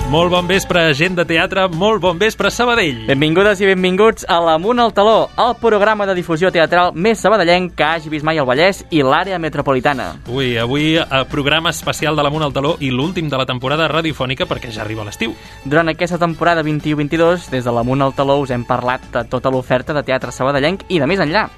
Molt bon vespre, gent de teatre, molt bon vespre, Sabadell. Benvingudes i benvinguts a l'Amunt al Taló, el programa de difusió teatral més sabadellenc que hagi vist mai el Vallès i l'àrea metropolitana. Avui programa especial de l'Amunt al Taló i l'últim de la temporada radiofònica perquè ja arriba l'estiu. Durant aquesta temporada 21-22, des de l'Amunt al Taló us hem parlat de tota l'oferta de teatre sabadellenc i de més enllà.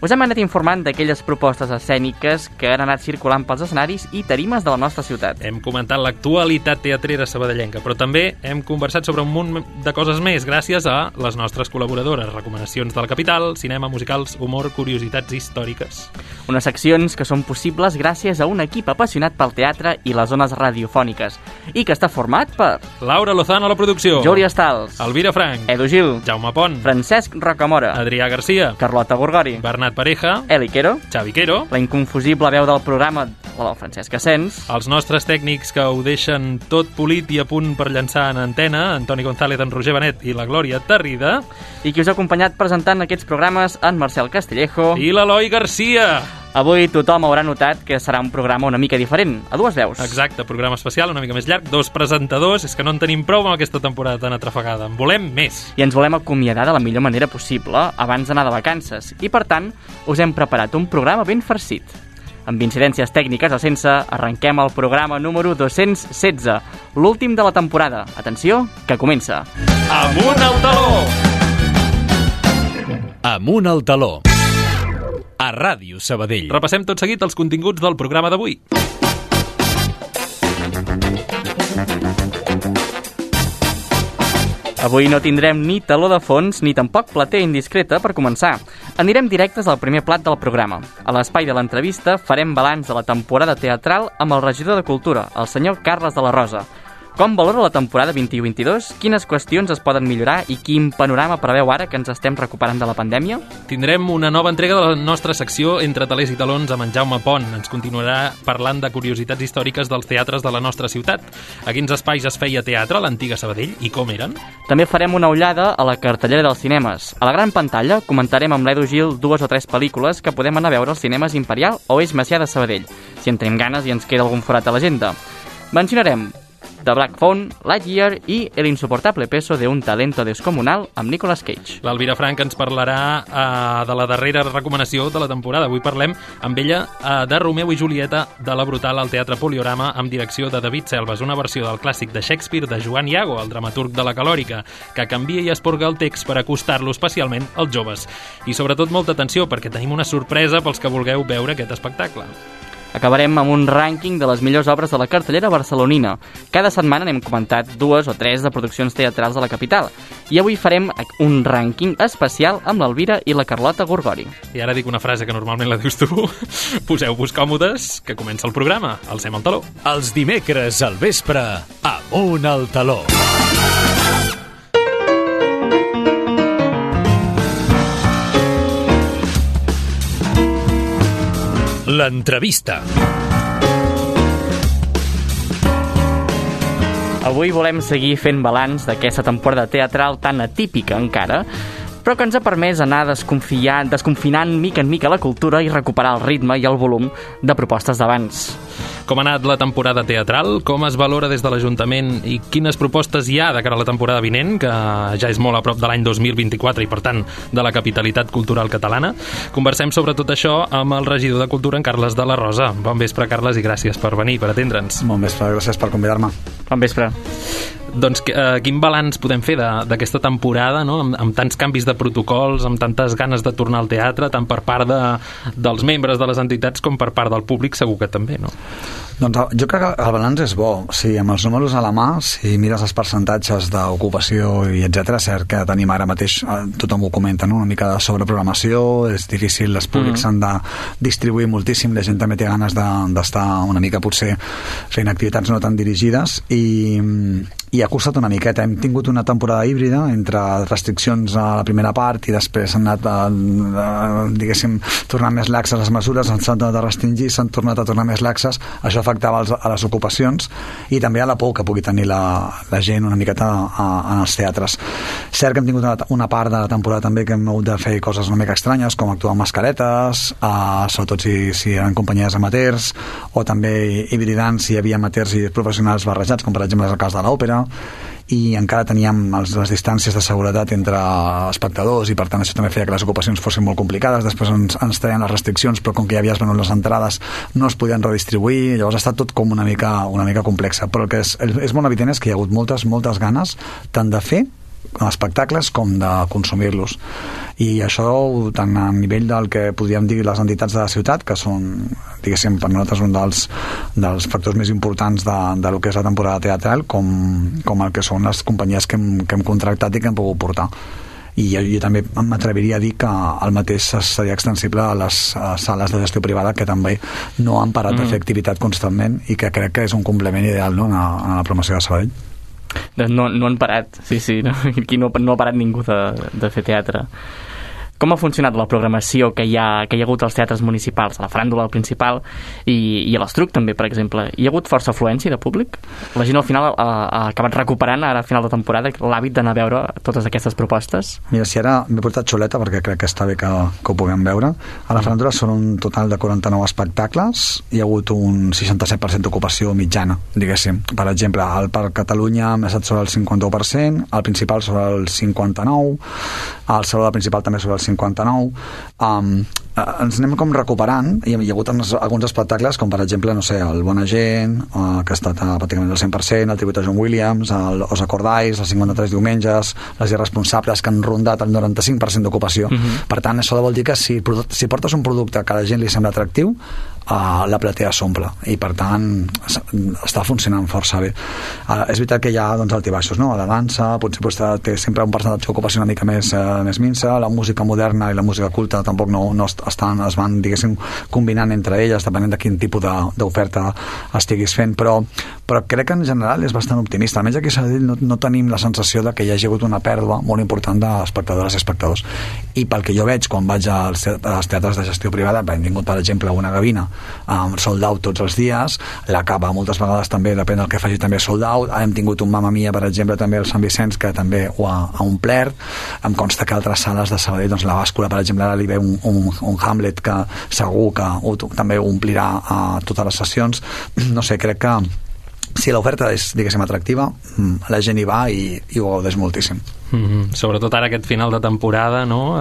Us hem anat informant d'aquelles propostes escèniques que han anat circulant pels escenaris i tarimes de la nostra ciutat. Hem comentat l'actualitat teatrera sabadellenca, però també hem conversat sobre un munt de coses més gràcies a les nostres col·laboradores, recomanacions de la capital, cinema, musicals, humor, curiositats històriques. Unes seccions que són possibles gràcies a un equip apassionat pel teatre i les zones radiofòniques i que està format per Laura Lozano a la producció, Júlia Stals, Elvira Frank, Edu Gil, Jaume Pont, Francesc Rocamora, Adrià Garcia, Carlota Gorgori, Bernat Pareja, Eli Quero, Xavi Quero, la inconfusible veu del programa, la Francesc Asens, els nostres tècnics que ho deixen tot polit i a punt per llançar en antena, Antoni González, en Roger Benet i la Glòria Tarrida, i qui us ha acompanyat presentant aquests programes, en Marcel Castillejo i l'Eloi Garcia. Avui tothom haurà notat que serà un programa una mica diferent, a dues veus. Exacte, programa especial, una mica més llarg, 2 presentadors, és que no en tenim prou amb aquesta temporada tan atrafegada, en volem més. I ens volem acomiadar de la millor manera possible abans d'anar de vacances, i per tant us hem preparat un programa ben farcit. Amb incidències tècniques o sense, arrenquem el programa número 216, l'últim de la temporada. Atenció, que comença. Amunt al taló! Amunt al taló. A Ràdio Sabadell. Repassem tot seguit els continguts del programa d'avui. Avui no tindrem ni taló de fons ni tampoc platea indiscreta per començar. Anirem directes al primer plat del programa. A l'espai de l'entrevista farem balanç de la temporada teatral amb el regidor de Cultura, el senyor Carles de la Rosa. Com valora la temporada 21-22? Quines qüestions es poden millorar i quin panorama preveu ara que ens estem recuperant de la pandèmia? Tindrem una nova entrega de la nostra secció Entre talers i talons amb en Jaume Pont. Ens continuarà parlant de curiositats històriques dels teatres de la nostra ciutat. A quins espais es feia teatre a l'antiga Sabadell i com eren? També farem una ullada a la cartellera dels cinemes. A la gran pantalla comentarem amb l'Edu Gil 2 o 3 pel·lícules que podem anar a veure als cinemes Imperial o Eix Macià de Sabadell, si en tenim ganes i ens queda algun forat a l'agenda. Mencionarem The Black Phone, Lightyear i El insoportable peso de un talento descomunal amb Nicolas Cage. L'Elvira Frank ens parlarà de la darrera recomanació de la temporada. Avui parlem amb ella de Romeu i Julieta de la Brutal al Teatre Poliorama amb direcció de David Selves, una versió del clàssic de Shakespeare de Joan Iago, el dramaturg de la Calòrica, que canvia i esporga el text per acostar-lo especialment als joves. I sobretot molta atenció perquè tenim una sorpresa pels que vulgueu veure aquest espectacle. Acabarem amb un rànquing de les millors obres de la cartellera barcelonina. Cada setmana n'hem comentat 2 o 3 de produccions teatrals de la capital. I avui farem un rànquing especial amb l'Elvira i la Carlota Gorgori. I ara dic una frase que normalment la dius tu. Poseu-vos còmodes, que comença el programa. Alcem el taló. Els dimecres al vespre, Amunt al taló. L'entrevista. Avui volem seguir fent balanç d'aquesta temporada teatral tan atípica encara, però que ens ha permès anar desconfinant mica en mica la cultura i recuperar el ritme i el volum de propostes d'abans. Com ha anat la temporada teatral? Com es valora des de l'Ajuntament i quines propostes hi ha de cara a la temporada vinent, que ja és molt a prop de l'any 2024 i, per tant, de la capitalitat cultural catalana? Conversem sobre tot això amb el regidor de Cultura, en Carles de la Rosa. Bon vespre, Carles, i gràcies per venir, per atendre'ns. Bon vespre, gràcies per convidar-me. Bon vespre. Doncs quin balanç podem fer d'aquesta temporada, no? Amb tants canvis de protocols, amb tantes ganes de tornar al teatre, tant per part dels membres de les entitats com per part del públic, segur que també, no? Doncs jo crec que el balanç és bo. Sí, amb els números a la mà, si mires els percentatges d'ocupació i etc, cert que tenim ara mateix, tothom ho comenta, no? Una mica de sobreprogramació, és difícil, els públics s'han de distribuir moltíssim, la gent també té ganes d'estar una mica potser fent activitats no tan dirigides i ha costat una miqueta. Hem tingut una temporada híbrida entre restriccions a la primera part i després s'han anat diguéssim, tornant més laxes les mesures, s'han tornat a restringir, s'han tornat a tornar més laxes. Això afectava a les ocupacions i també a la por que pugui tenir la gent una miqueta en els teatres. Cert que hem tingut una part de la temporada també que hem hagut de fer coses una mica estranyes, com actuar amb mascaretes, sobretot si eren companyies amateurs, o també hibridant si hi havia amateurs i professionals barrejats, com per exemple és el cas de l'òpera, i encara teníem les distàncies de seguretat entre espectadors i per tant això també feia que les ocupacions fossin molt complicades. Després ens traien les restriccions, però com que ja havies venut les entrades no es podien redistribuir, llavors ha estat tot com una mica complexa, però el que és molt evident és que hi ha hagut moltes ganes tant de fer espectacles com de consumir-los, i això tant a nivell del que podríem dir les entitats de la ciutat, que són, diguéssim, per nosaltres un dels factors més importants de lo que és la temporada teatral, com el que són les companyies que hem contractat i que hem pogut portar. I jo també m'atreviria a dir que el mateix seria extensible a les sales de gestió privada, que també no han parat de fer activitat constantment i que crec que és un complement ideal, no?, a la promoció de Sabadell. No han parat, sí, no? Aquí no ha parat ningú de fer teatre. Com ha funcionat la programació que hi ha hagut als teatres municipals, a la Faràndula principal i a l'Estruc també, per exemple? Hi ha hagut força afluència de públic? La gent al final ha acabat recuperant ara a final de temporada l'hàbit d'anar a veure totes aquestes propostes? Mira, si ara m'he portat xuleta perquè crec que està bé que ho puguem veure. A la Faràndula són un total de 49 espectacles, hi ha hagut un 67% d'ocupació mitjana, diguéssim. Per exemple, al Parc Catalunya hem estat sobre el 51%, al principal sobre el 59%, al Saló principal també sobre el 59%. Ens anem com recuperant i hi ha hagut alguns espectacles com per exemple, no sé, el Bona Gent, que ha estat pràcticament al 100%, el tribut a John Williams, els Acordais, els 53 diumenges, les Irresponsables, que han rondat el 95% d'ocupació. Per tant, això vol dir que si portes un producte que a la gent li sembla atractiu, la platea s'omple i per tant està funcionant força bé. És veritat que hi ha altibaixos, no? La dansa potser té sempre un percentatge d'ocupació una mica més minsa, la música moderna i la música culta tampoc es van, diguéssim, combinant entre elles depenent de quin tipus d'oferta estiguis fent, però crec que en general és bastant optimista. Almenys aquí a Sabadell no tenim la sensació de que hi hagi hagut una pèrdua molt important d'espectadores i espectadors, i pel que jo veig quan vaig als teatres de gestió privada, hem tingut per exemple una Gavina sold out tots els dies, la Cava moltes vegades també, depèn del que faci, també sold out. Hem tingut un Mamma Mia, per exemple, també al Sant Vicenç, que també ho ha omplert. Em consta que altres sales de Sabadell, doncs la Bàscula, per exemple, ara li ve un Hamlet que segur que també omplirà totes les sessions. No sé, crec que si l'oferta és, diguéssim, atractiva, la gent hi va i ho gaudeix moltíssim. Sobretot ara aquest final de temporada, no?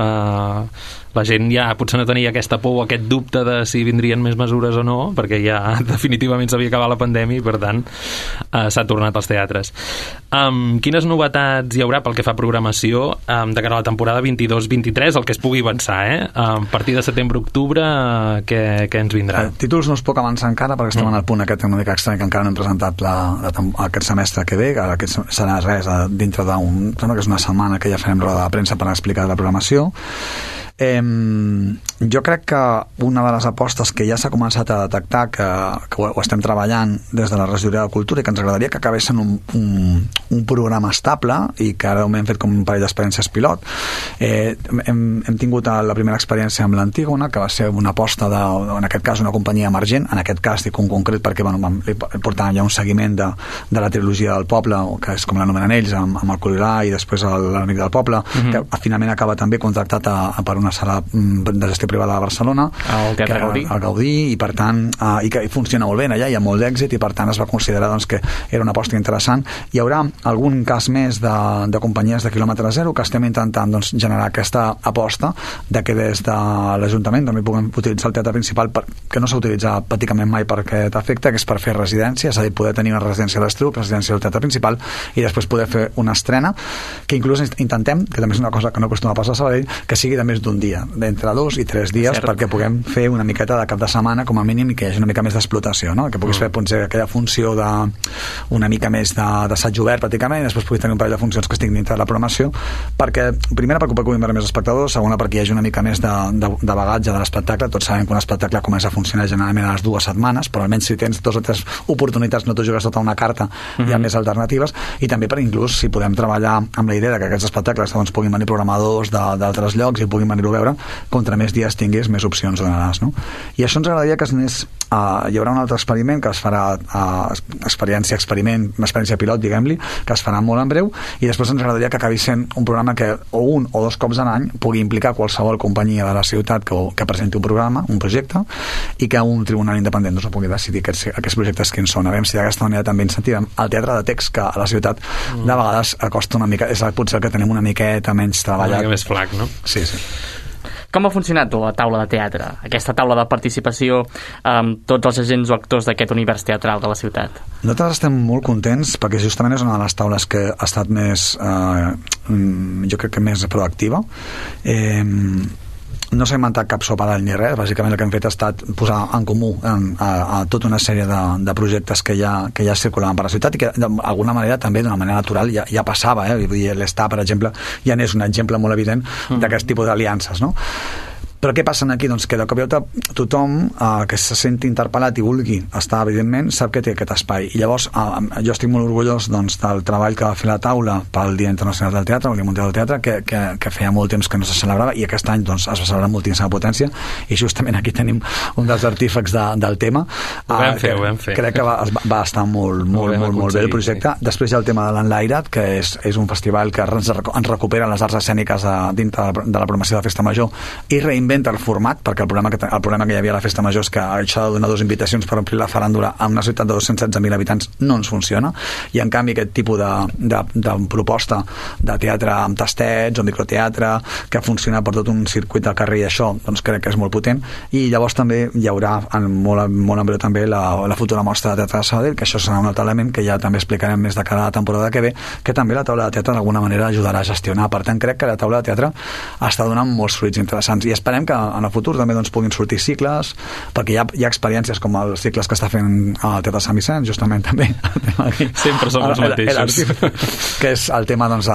La gent ja potser no tenia aquesta por o aquest dubte de si vindrien més mesures o no, perquè ja definitivament s'havia acabat la pandèmia i per tant s'ha tornat als teatres. Quines novetats hi haurà pel que fa a programació de cara a la temporada 22-23, el que es pugui avançar, a partir de setembre-octubre què ens vindrà? Títols no es puc avançar encara perquè estem en el punt aquest una mica estrany que encara no hem presentat aquest semestre que ve, que aquest serà res dintre d'un, sembla que és una setmana que ja farem roda de premsa per explicar la programació. Jo crec que una de les apostes que ja s'ha començat a detectar que ho estem treballant des de la regidoria de Cultura i que ens agradaria que acabés en un programa estable i que ara hem fet com un parell d'experiències pilot. Hem tingut la primera experiència amb l'Antígona, que va ser una aposta en aquest cas una companyia emergent, en aquest cas dic un concret perquè portàvem ja un seguiment de la trilogia del poble, que és com l'anomenen ells, amb el Colirà i després l'Enemic del poble, que finalment acaba també contractat per una sala de gestió privada de Barcelona, el Teatre Gaudí, i per tant i que funciona molt bé allà, hi ha molt d'èxit i per tant es va considerar que era una aposta interessant. Hi haurà algun cas més de companyies de quilòmetre zero que estem intentant generar aquesta aposta de que des de l'Ajuntament també puguem utilitzar el teatre principal, que no s'ha utilitzat pràcticament mai per aquest efecte, que és per fer residència, és a dir, poder tenir una residència a l'Estruc, residència del teatre principal i després poder fer una estrena que inclús intentem, que també és una cosa que no acostuma a passar a Sabadell, que sigui de més d'un dia, d'entre 2 i 3 dies, perquè puguem fer una miqueta de cap de setmana com a mínim i que hi hagi una mica més d'explotació, no? Que puguis fer potser aquella funció una mica més d'assaig obert pràcticament, i després puguis tenir un parell de funcions que estiguin dintre de la programació, perquè primera perquè puguin veure més espectadors, segona perquè hi hagi una mica més de bagatge de l'espectacle. Tots sabem que un espectacle comença a funcionar generalment a les 2 setmanes, però almenys si tens 2 o 3 oportunitats no t'ho jugues tota una carta, hi ha més alternatives, i també per inclús si podem treballar amb la idea de que aquests espectacles doncs, puguin venir programadors d'altres llocs i puguin venir-ho a veure, contra més dies tinguis més opcions donaràs, no? I això ens agradaria que hi haurà un altre experiment que es farà experiència pilot, diguem-li, que es farà molt en breu, i després ens agradaria que acabi sent un programa que o 1 o 2 cops a l'any pugui implicar qualsevol companyia de la ciutat que presenti un programa, un projecte, i que un tribunal independent doncs, pugui decidir aquests projectes quins són. A veure si d'aquesta manera també incentivem el teatre de text, que a la ciutat de vegades costa una mica, és potser el que tenim una miqueta menys treballat. Una mica més flac, no? Sí. Com ha funcionat la taula de teatre? Aquesta taula de participació amb tots els agents o actors d'aquest univers teatral de la ciutat? Nosaltres estem molt contents perquè justament és una de les taules que ha estat més jo crec que més proactiva. No s'ha inventat cap sopadall ni res, bàsicament el que hem fet ha estat posar en comú a tota una sèrie de projectes que ja circulaven per la ciutat i que d'alguna manera també d'una manera natural ja passava, vull dir, l'Està, per exemple, ja n'és un exemple molt evident d'aquest tipus d'aliances, no? Però què passa aquí? Doncs que de cop i volta tothom que se senti interpel·lat i vulgui estar, evidentment, sap que té aquest espai. I llavors jo estic molt orgullós del treball que va fer la taula pel Dia Internacional del Teatre, el Dia Mundial del Teatre, que feia molt temps que no se celebrava, i aquest any doncs, es va celebrar amb moltíssima potència, i justament aquí tenim un dels artífecs del tema. Ho vam fer. Crec que va estar molt bé el projecte. Després hi ha el tema de l'Enlairat, que és un festival que ens recupera les arts escèniques dintre de la programació de Festa Major i reinventa el format, perquè el problema que hi havia a la Festa Major és que això de donar 2 invitacions per omplir la faràndula en una ciutat de 216.000 habitants no ens funciona, i en canvi aquest tipus de proposta de teatre amb tastets o microteatre que funciona per tot un circuit del carrer, i això doncs crec que és molt potent. I llavors també hi haurà molt en breu també la futura mostra de teatre de Sabadell, que això serà un altre element que ja també explicarem més de cara a la temporada que ve, que també la taula de teatre d'alguna manera ajudarà a gestionar. Per tant, crec que la taula de teatre està donant molts fruits interessants, i esperem que en el futur també doncs, puguin sortir cicles, perquè hi ha experiències com els cicles que està fent el Teatre Sant Vicenç, justament també sempre són els mateixos, que és el tema doncs,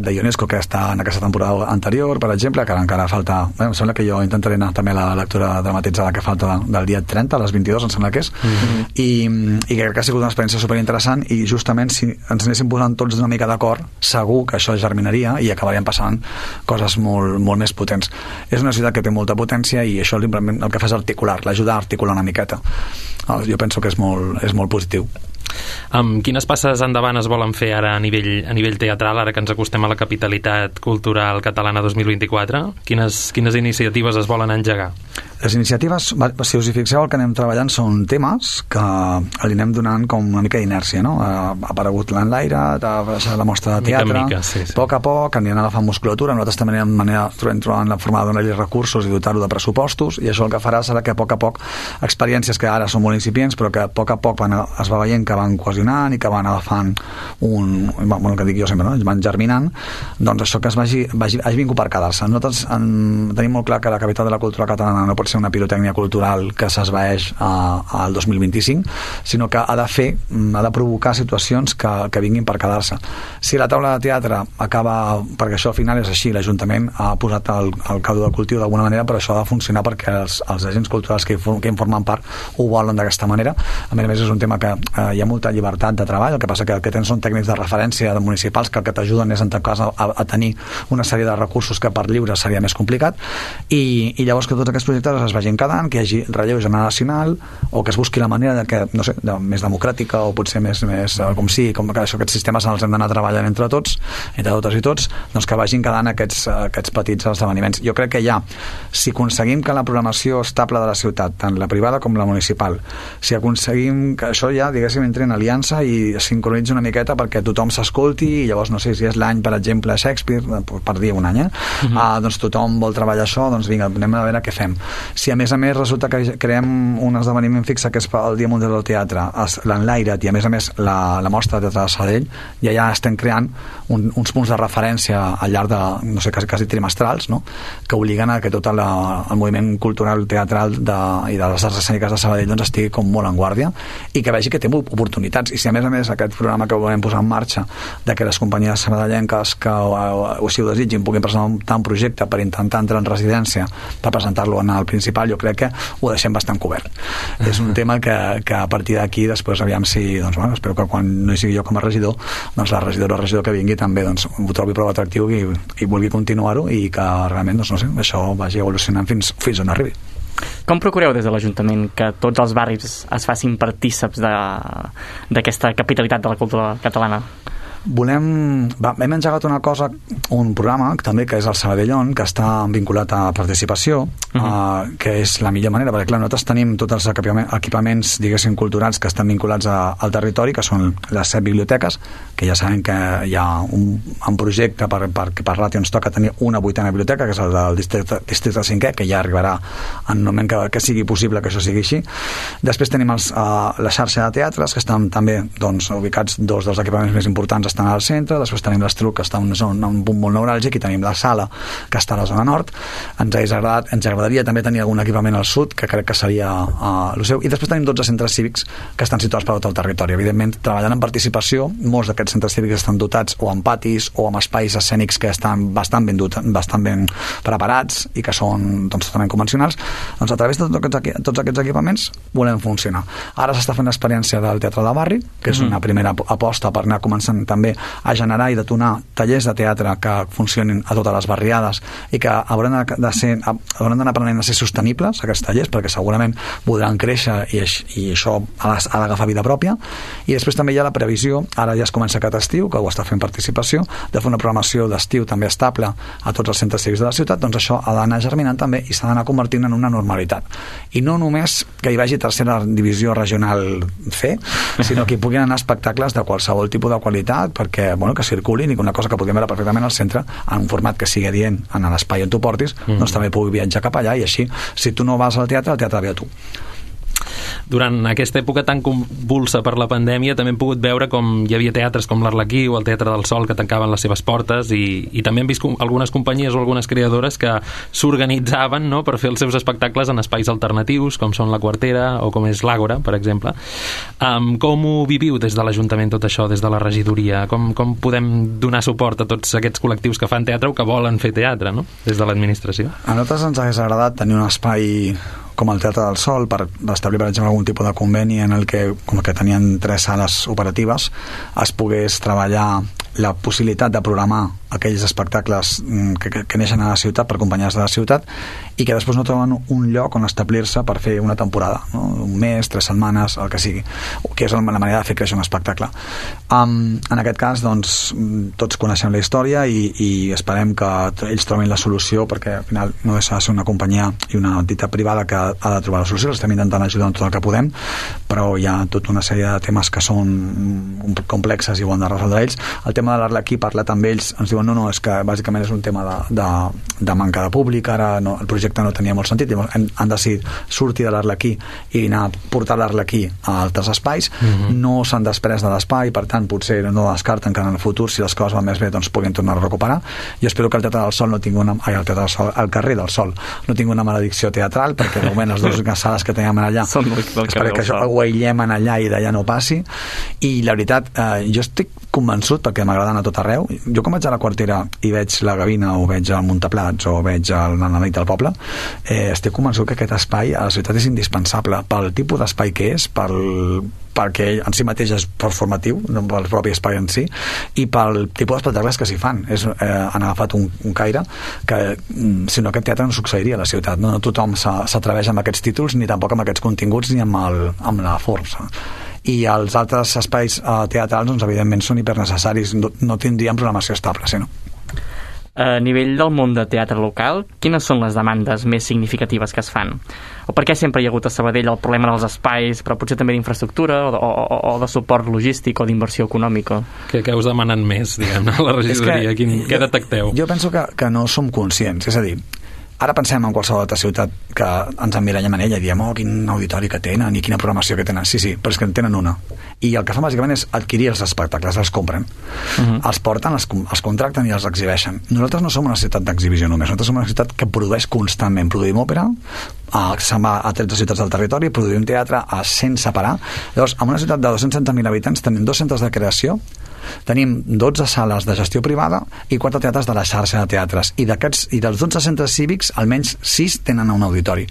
de UNESCO, que està en aquesta temporada anterior, per exemple, que encara falta, em sembla que jo intentaré anar també a la lectura dramatitzada que falta del dia 30 a les 22, em sembla que és, i crec que ha sigut una experiència superinteressant, i justament si ens anéssim posant tots una mica d'acord, segur que això germinaria i acabarien passant coses molt més potents. És una ciutat que té molta potència, i això el que fa és l'ajudar a articular una miqueta. Jo penso que és molt positiu. Quines passes endavant es volen fer ara a nivell teatral, ara que ens acostem a la capitalitat cultural catalana 2024? Quines iniciatives es volen engegar? Les iniciatives, si us hi fixeu, el que anem treballant són temes que li anem donant com una mica d'inèrcia, no? Ha aparegut l'Enlairat, ha baixat la mostra de teatre, a poc a poc aniran agafant musculatura. Nosaltres també trobant la forma de donar-li recursos i dotar-ho de pressupostos, i això el que farà serà que a poc experiències que ara són molt incipients però que a poc es va veient que van cohesionant i que van agafant el que dic jo sempre, no? Van germinant, doncs això que hagi vingut per quedar-se. Nosaltres tenim molt clar que la capital de la cultura catalana no pot ser una pirotècnia cultural que s'esvaeix al 2025, sinó que ha de provocar situacions que vinguin per quedar-se. Si la taula de teatre acaba, perquè això al final és així, l'Ajuntament ha posat el caldo del cultiu d'alguna manera, però això ha de funcionar perquè els agents culturals que en formen part ho volen d'aquesta manera. A més és un tema que hi ha molta llibertat de treball, el que passa que el que tens són tècnics de referència de municipals que el que t'ajuden és en tot cas a tenir una sèrie de recursos que per lliure seria més complicat, i llavors que tots aquests projectes es vagin quedant, que hi hagi relleu generacional, o que es busqui la manera de que, no sé, més democràtica o potser més com que aquests sistemes els hem d'anar treballant entre totes i tots, doncs que vagin quedant aquests petits esdeveniments. Jo crec que si aconseguim que la programació estable de la ciutat, tant la privada com la municipal, si aconseguim que això diguéssim, entri en aliança i sincronitzi una miqueta perquè tothom s'escolti, i llavors no sé si és l'any, per exemple, Shakespeare, per dir un any, doncs tothom vol treballar això, doncs vinga, anem a veure què fem. Si a més resulta que creem un esdeveniment fixe que és el Dia Mundial del Teatre, l'enlairet, i a més la mostra de Teatre de Sabadell, ja estem creant uns punts de referència al llarg de, no sé, quasi trimestrals, no? Que obliguen a que tot el moviment cultural, teatral i de les arts escèniques de Sabadell doncs estigui com molt en guàrdia i que vegi que té oportunitats. I si a més aquest programa que volem posar en marxa de que les companyies sabadellenques que o si ho desitgin puguin presentar un projecte per intentar entrar en residència per presentar-lo en el principal, jo crec que ho deixem bastant cobert. És un tema que a partir d'aquí després aviam si, doncs bueno, espero que quan no hi sigui jo com a regidor, doncs la regidora o regidor que vingui també doncs, ho trobi prou atractiu i vulgui continuar-ho i que realment, doncs, no sé, això vagi evolucionant fins on arribi. Com procureu des de l'Ajuntament que tots els barris es facin partíceps d'aquesta capitalitat de la cultura catalana? Hem engegat un programa també que és el Sabadellon, que està vinculat a participació, que és la millor manera, perquè clar, nosaltres tenim tots els equipaments, diguéssim, culturals que estan vinculats al territori, que són les 7 biblioteques, que ja sabem que hi ha un projecte perquè per ràtio ens toca tenir una 8a biblioteca, que és el del districte 5è, que ja arribarà en un moment que sigui possible que això sigui així. Després tenim la xarxa de teatres, que estan també doncs, ubicats dos dels equipaments més importants estan al centre, després tenim l'Estruc, que està en un punt molt neuràlgic, i tenim la Sala, que està a la zona nord. Ens agradaria també tenir algun equipament al sud, que crec que seria el seu, i després tenim 12 centres cívics que estan situats per tot el territori. Evidentment, treballant en participació, molts d'aquests centres cívics estan dotats o amb patis o amb espais escènics que estan bastant ben preparats i que són doncs, totalment convencionals. Doncs a través de tots aquests equipaments volem funcionar. Ara s'està fent l'experiència del Teatre de Barri, que és una primera aposta per anar començant també a generar i detonar tallers de teatre que funcionin a totes les barriades i que hauran d'anar aprenent a ser sostenibles, aquests tallers, perquè segurament podran créixer i això ha d'agafar vida pròpia. I després també hi ha la previsió, ara ja es comença aquest estiu, que ho està fent participació, de fer una programació d'estiu també estable a tots els centres cívics de la ciutat. Doncs això ha d'anar germinant també i s'ha d'anar convertint en una normalitat. I no només que hi vagi tercera divisió regional C, sinó que hi puguin anar espectacles de qualsevol tipus de qualitat, perquè bueno, que circulin i que una cosa que podríem veure perfectament al centre en un format que sigui adient en l'espai on tu portis, doncs també pugui viatjar cap allà, i així si tu no vas al teatre, el teatre ve a tu. Durant aquesta època tan convulsa per la pandèmia també hem pogut veure com hi havia teatres com l'Arlequí o el Teatre del Sol que tancaven les seves portes, i també hem vist algunes companyies o algunes creadores que s'organitzaven, no?, per fer els seus espectacles en espais alternatius com són la Quartera o com és l'Àgora, per exemple. Com ho viviu des de l'Ajuntament tot això, des de la regidoria? Com podem donar suport a tots aquests col·lectius que fan teatre o que volen fer teatre, no?, des de l'administració? A nosaltres ens hagués agradat tenir un espai com el Teatre del Sol per establir, per exemple, algun tipus de conveni en el que, com que tenien 3 sales operatives, es pogués treballar la possibilitat de programar aquells espectacles que neixen a la ciutat per companyies de la ciutat i que després no troben un lloc on establir-se per fer una temporada, no? Un mes, 3 setmanes, el que sigui, que és la manera de fer créixer un espectacle. En aquest cas, doncs, tots coneixem la història i esperem que ells trobin la solució, perquè al final no deixa de ser una companyia i una entitat privada que ha de trobar la solució. L'estem intentant ajudar en tot el que podem, però hi ha tota una sèrie de temes que són complexes i ho han de resoldre ells. El tema de l'Arlequí, parlat amb ells, ens diuen no, és que bàsicament és un tema de manca de públic, ara no, el projecte no tenia molt sentit, han decidit sortir de l'Arlequí i anar a portar l'Arlequí a altres espais. No s'han després de l'espai, per tant potser no descarten que en el futur, si les coses van més bé, doncs puguin tornar a recuperar. Jo espero que el Teatre del Sol no tingui el carrer del Sol no tingui una maledicció teatral, perquè de moment les dues sales que teníem allà espero que això ho aïllem allà i d'allà no passi. I la veritat, jo estic convençut, perquè m'agrada anar a tot arreu. Jo quan vaig a la Quartera i veig la Gavina o veig el Muntaplats o veig la nit del poble, estic convençut que aquest espai a la ciutat és indispensable pel tipus d'espai que és, perquè en si mateix és performatiu, no pel propi espai en si, i pel tipus d'espectacles que s'hi fan. Han agafat un caire que, si no, aquest teatre no succeiria a la ciutat. No tothom s'atreveix amb aquests títols, ni tampoc amb aquests continguts, ni amb la força. I els altres espais teatrals, doncs, evidentment, són hipernecessaris. No tindríem programació estable, si no. A nivell del món de teatre local, quines són les demandes més significatives que es fan? O per què sempre hi ha hagut a Sabadell el problema dels espais, però potser també d'infraestructura o de suport logístic o d'inversió econòmica? Què us demanen més, diguem, a la regidoria? Què detecteu? Jo penso que no som conscients, és a dir, Ara pensem en qualsevol altra ciutat que ens emmirallem en ella i diem, quin auditori que tenen i quina programació que tenen. Sí, però és que en tenen una. I el que fan bàsicament és adquirir els espectacles, els compren. Els porten, els contracten i els exhibeixen. Nosaltres no som una ciutat d'exhibició només, nosaltres som una ciutat que produeix constantment. Produïm òpera, se'n va a 13 ciutats del territori, produïm teatre sense parar. Llavors, en una ciutat de 270.000 habitants tenim 2 centres de creació, tenim 12 sales de gestió privada i 4 teatres de la xarxa de teatres. I dels 12 centres cívics, almenys 6 tenen un auditori.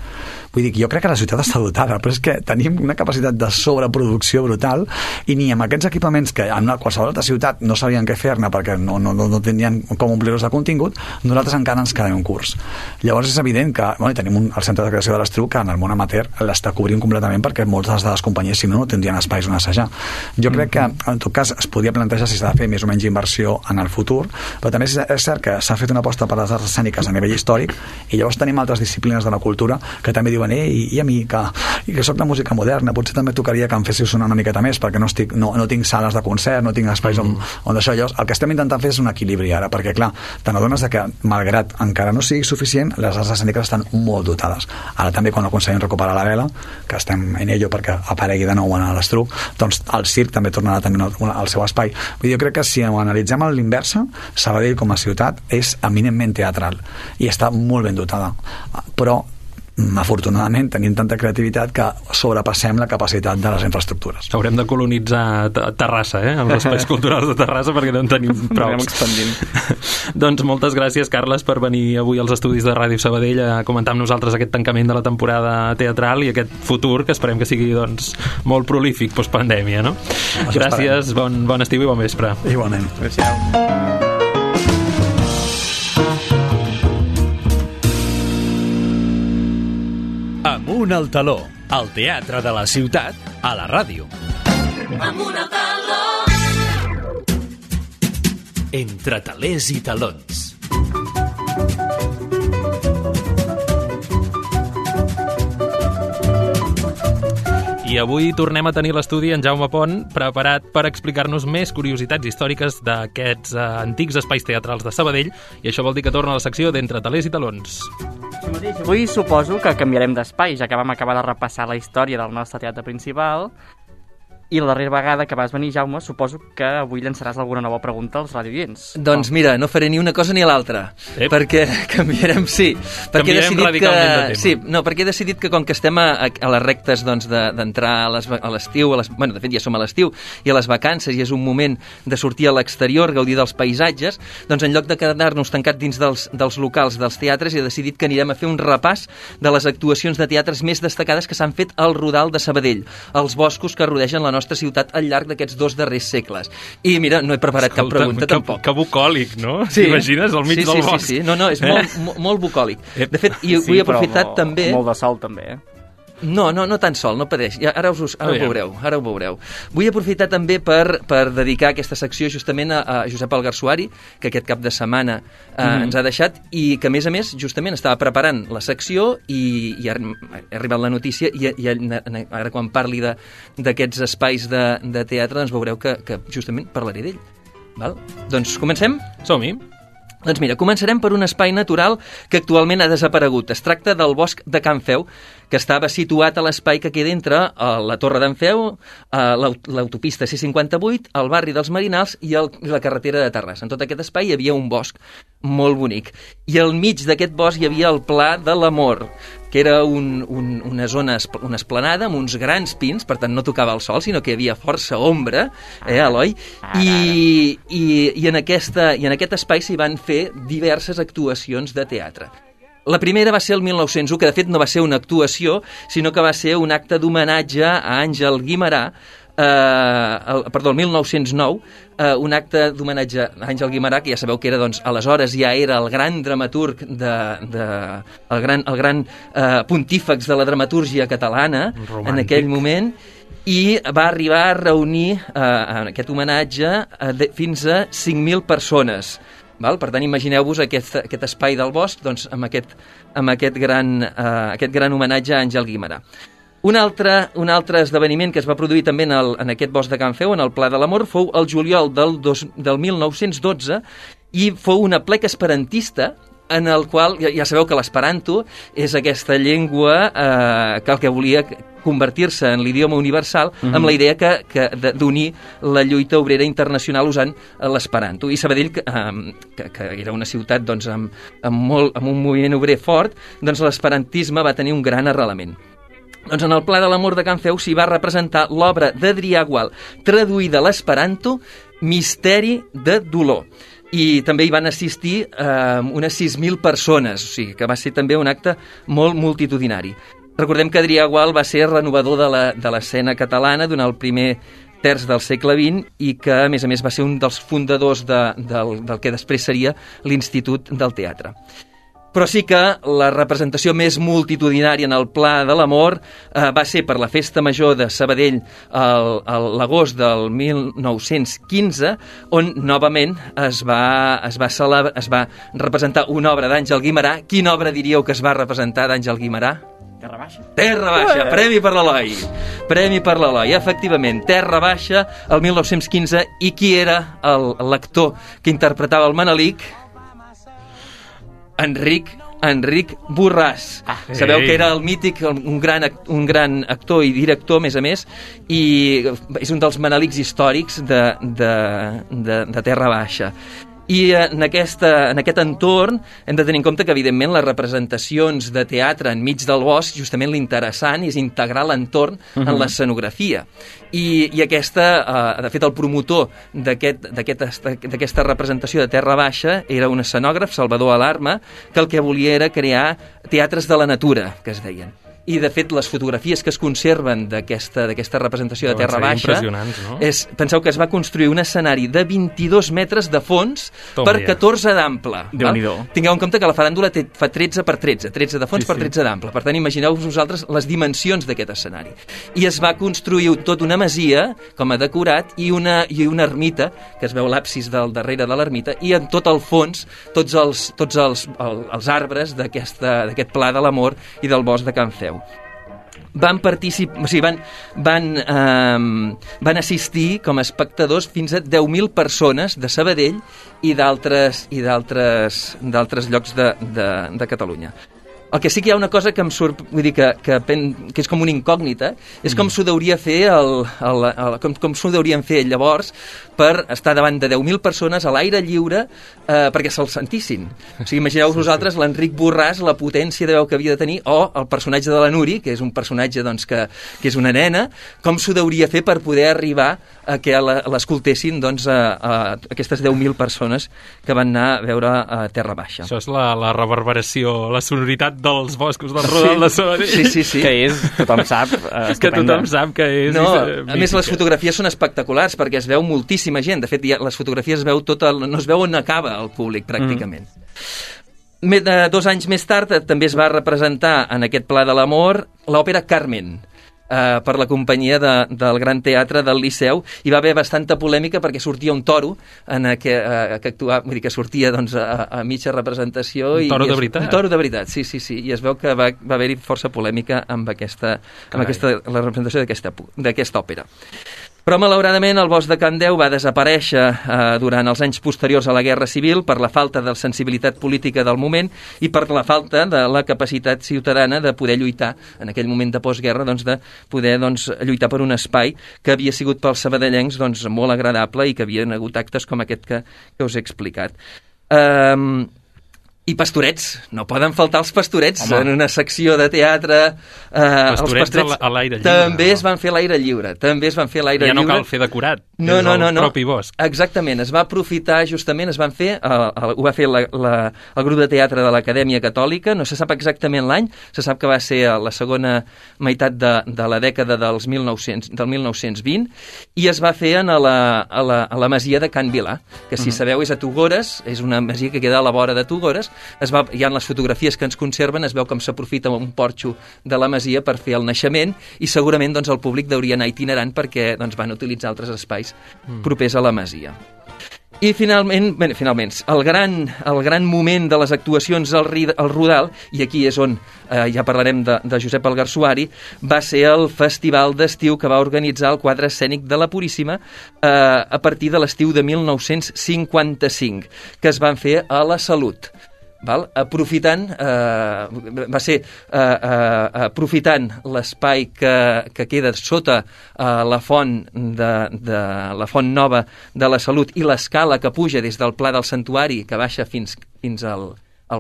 Vull dir que jo crec que la ciutat està dotada, però és que tenim una capacitat de sobreproducció brutal i ni amb aquests equipaments que en qualsevol altra ciutat no sabien què fer-ne perquè no tenien com omplir-los de contingut, nosaltres encara ens quedem un curs. Llavors és evident que tenim el centre de creació de l'Estriu que en el món amateur l'està cobrint completament perquè moltes de les companyies, si no tindrien espais on assajar. Jo crec que en tot cas es podria plantejar si s'ha de fer més o menys inversió en el futur, però també és cert que s'ha fet una aposta per les arts escèniques a nivell històric i llavors tenim altres disciplines de la cultura que també diuen i a mi que soc de música moderna potser també tocaria que em féssiu sonar una miqueta més perquè no tinc sales de concert, no tinc espais on d'això. Llavors el que estem intentant fer és un equilibri ara, perquè clar, te n'adones que malgrat encara no sigui suficient, les arts escèniques estan molt dotades. Ara també quan aconseguim recuperar la vela, que estem en ello perquè aparegui de nou a l'Estruc, doncs el circ també tornarà també al seu espai. Vull dir, jo crec que si ho analitzem a l'inversa, Sabadell com a ciutat és eminentment teatral i està molt ben dotada, però afortunadament tenim tanta creativitat que sobrepassem la capacitat de les infraestructures. Haurem de colonitzar Terrassa, amb els espais culturals de Terrassa perquè no en tenim prou. Doncs moltes gràcies, Carles, per venir avui als estudis de Ràdio Sabadell a comentar amb nosaltres aquest tancament de la temporada teatral i aquest futur que esperem que sigui molt prolífic postpandèmia, no? Gràcies, bon estiu i bon vespre. Igualment. Gràcies. Amunt al taló, el teatre de la ciutat a la ràdio. Amunt al taló. Entre talers i talons. I avui tornem a tenir l'estudi en Jaume Pont, preparat per explicar-nos més curiositats històriques d'aquests antics espais teatrals de Sabadell, i això vol dir que torna a la secció d'Entre talers i talons. Avui suposo que canviarem d'espai, ja que vam acabar de repassar la història del nostre teatre principal. I la darrera vegada que vas venir, Jaume, suposo que avui llançaràs alguna nova pregunta als radioients. Doncs mira, no faré ni una cosa ni l'altra, perquè canviarem, sí. Canviarem radicalment de tema. Sí, no, perquè he decidit que com que estem a les rectes d'entrar a l'estiu, bueno, de fet ja som a l'estiu, i a les vacances, i és un moment de sortir a l'exterior, gaudir dels paisatges, doncs en lloc de quedar-nos tancats dins dels locals dels teatres, he decidit que anirem a fer un repàs de les actuacions de teatres més destacades que s'han fet al Rodal de Sabadell, als boscos que rodegen la nostra ciutat al llarg d'aquests 2 darrers segles. I mira, no he preparat cap pregunta tampoc. Que bucòlic, no? Sí. T'imagines al mig del bosc? Sí. No, és molt bucòlic. De fet, i vull aprofitar també... Molt de sol també, No tan sol, no pateix. Ara ho veureu. Vull aprofitar també per dedicar aquesta secció justament a Josep Algarsuari, que aquest cap de setmana ens ha deixat, i que, a més, justament estava preparant la secció i ha arribat la notícia i ara quan parli d'aquests espais de teatre doncs veureu que justament parlaré d'ell. Val? Doncs comencem? Som-hi. Doncs mira, començarem per un espai natural que actualment ha desaparegut. Es tracta del bosc de Can Feu, que estava situat a l'espai que queda entre la Torre d'en Feu, l'autopista C58, el barri dels Marinals i la carretera de Terrassa. En tot aquest espai hi havia un bosc molt bonic. I al mig d'aquest bosc hi havia el Pla de l'Amor, que era una zona, una esplanada amb uns grans pins, per tant no tocava el sol, sinó que hi havia força ombra, Eloi? I en aquest espai s'hi van fer diverses actuacions de teatre. La primera va ser el 1901, que de fet no va ser una actuació, sinó que va ser un acte d'homenatge a Àngel Guimerà, el 1909, un acte d'homenatge a Àngel Guimerà, que ja sabeu que era, doncs, aleshores ja era el gran dramaturg, el gran pontífex de la dramatúrgia catalana, romàntic, en aquell moment, i va arribar a reunir en aquest homenatge fins a 5.000 persones. Val? Per tant, imagineu-vos aquest espai del bosc, doncs, amb aquest gran homenatge a Àngel Guimerà. Un altre esdeveniment que es va produir també en aquest bosc de Can Feu, en el Pla de l'Amor, fou el juliol del 1912, i fou un aplec esperantista en el qual, ja sabeu que l'esperanto és aquesta llengua que el que volia convertir-se en l'idioma universal amb la idea d'unir la lluita obrera internacional usant l'esperanto. I Sabadell, que era una ciutat doncs, amb un moviment obrer fort, doncs l'esperantisme va tenir un gran arrelament. Doncs en el Pla de l'Amor de Can Feu s'hi va representar l'obra d'Adrià Gual, traduïda a l'esperanto, Misteri de dolor. I també hi van assistir unes 6.000 persones, o sigui que va ser també un acte molt multitudinari. Recordem que Adrià Gual va ser renovador de l'escena catalana durant el primer terç del segle XX i que, a més, va ser un dels fundadors del que després seria l'Institut del Teatre. Però sí que la representació més multitudinària en el Pla de l'Amor va ser per la Festa Major de Sabadell l'agost del 1915, on novament es va representar una obra d'Àngel Guimerà. Quina obra diríeu que es va representar d'Àngel Guimerà? Terra Baixa. Terra Baixa, premi per l'Eloi. Premi per l'Eloi, efectivament. Terra Baixa, el 1915. I qui era l'actor que interpretava el Manelic? Enric Borràs. Sabeu que era el mític, un gran actor i director, a més, i és un dels Manelics històrics de Terra Baixa. I en aquest entorn hem de tenir en compte que, evidentment, les representacions de teatre enmig del bosc, justament l'interessant és integrar l'entorn en l'escenografia. I de fet, el promotor d'aquesta representació de Terra Baixa era un escenògraf, Salvador Alarma, que el que volia era crear teatres de la natura, que es deien. I, de fet, les fotografies que es conserven d'aquesta representació de Terra Baixa, no? Penseu que es va construir un escenari de 22 metres de fons per 14 d'ample. Tingueu en compte que la faràndula fa 13 per 13, 13 de fons per 13 d'ample. Per tant, imagineu-vos vosaltres les dimensions d'aquest escenari. I es va construir tot una masia, com a decorat, i una ermita, que es veu l'absis del darrere de l'ermita, i en tot el fons, tots els arbres d'aquest Pla de l'Amor i del bosc de Can Feu. Van participar, o sigui, van assistir com a espectadors fins a 10.000 persones de Sabadell i d'altres llocs de Catalunya. El que sí que hi ha una cosa que em surt, vull dir que és com una incògnita, és com s'ho deuria fer com s'ho deurien fer llavors per estar davant de 10.000 persones a l'aire lliure perquè se'l sentissin. O sigui, imagineu-vos vosaltres l'Enric Borràs, la potència de veu que havia de tenir, o el personatge de la Nuri, que és un personatge doncs, que és una nena, com s'ho deuria fer per poder arribar a que l'escoltessin doncs, a aquestes 10.000 persones que van anar a veure a Terra Baixa. Això és la reverberació, la sonoritat dels boscos del Rodal de Sabadell. Sí. Que és, tothom sap, que tothom sap que és... No, a més, les fotografies són espectaculars perquè es veu moltíssima gent. De fet, les fotografies no es veu on acaba el públic, pràcticament. 2 anys més tard també es va representar en aquest Pla de l'Amor l'òpera Carmen, per la companyia del Gran Teatre del Liceu. Hi va haver bastanta polèmica perquè sortia un toro que actuava, vull dir que sortia doncs, a mitja representació. Un toro de veritat? Un toro de veritat, sí. I es veu que va haver-hi força polèmica amb la representació d'aquesta òpera. Però, malauradament, el bosc de Can Deu va desaparèixer durant els anys posteriors a la Guerra Civil per la falta de sensibilitat política del moment i per la falta de la capacitat ciutadana de poder lluitar, en aquell moment de postguerra, doncs, de poder lluitar per un espai que havia sigut pels sabadellencs doncs, molt agradable i que havien hagut actes com aquest que us he explicat. I pastorets, no poden faltar els pastorets. Home. En una secció de teatre. Els pastorets a l'aire lliure. També es van fer a l'aire lliure. Ja no cal fer decorat. No. Propi bosc. Exactament, es va aprofitar justament, ho va fer el grup de teatre de l'Acadèmia Catòlica, no se sap exactament l'any, se sap que va ser a la segona meitat de la dècada del 1920, i es va fer a la masia de Can Vilà, que si sabeu és a Tugores, és una masia que queda a la vora de Tugores. Hi ha les fotografies que ens conserven, es veu com s'aprofita un porxo de la masia per fer el naixement, i segurament doncs, el públic deuria anar itinerant perquè doncs, van utilitzar altres espais propers a la masia. I finalment, el gran moment de les actuacions al Rodal, i aquí és on ja parlarem de Josep Algarsuari, va ser el festival d'estiu que va organitzar el quadre escènic de la Puríssima a partir de l'estiu de 1955, que es van fer a la Salut. aprofitant l'espai que queda sota la font la font nova de la Salut i l'escala que puja des del Pla del Santuari que baixa fins al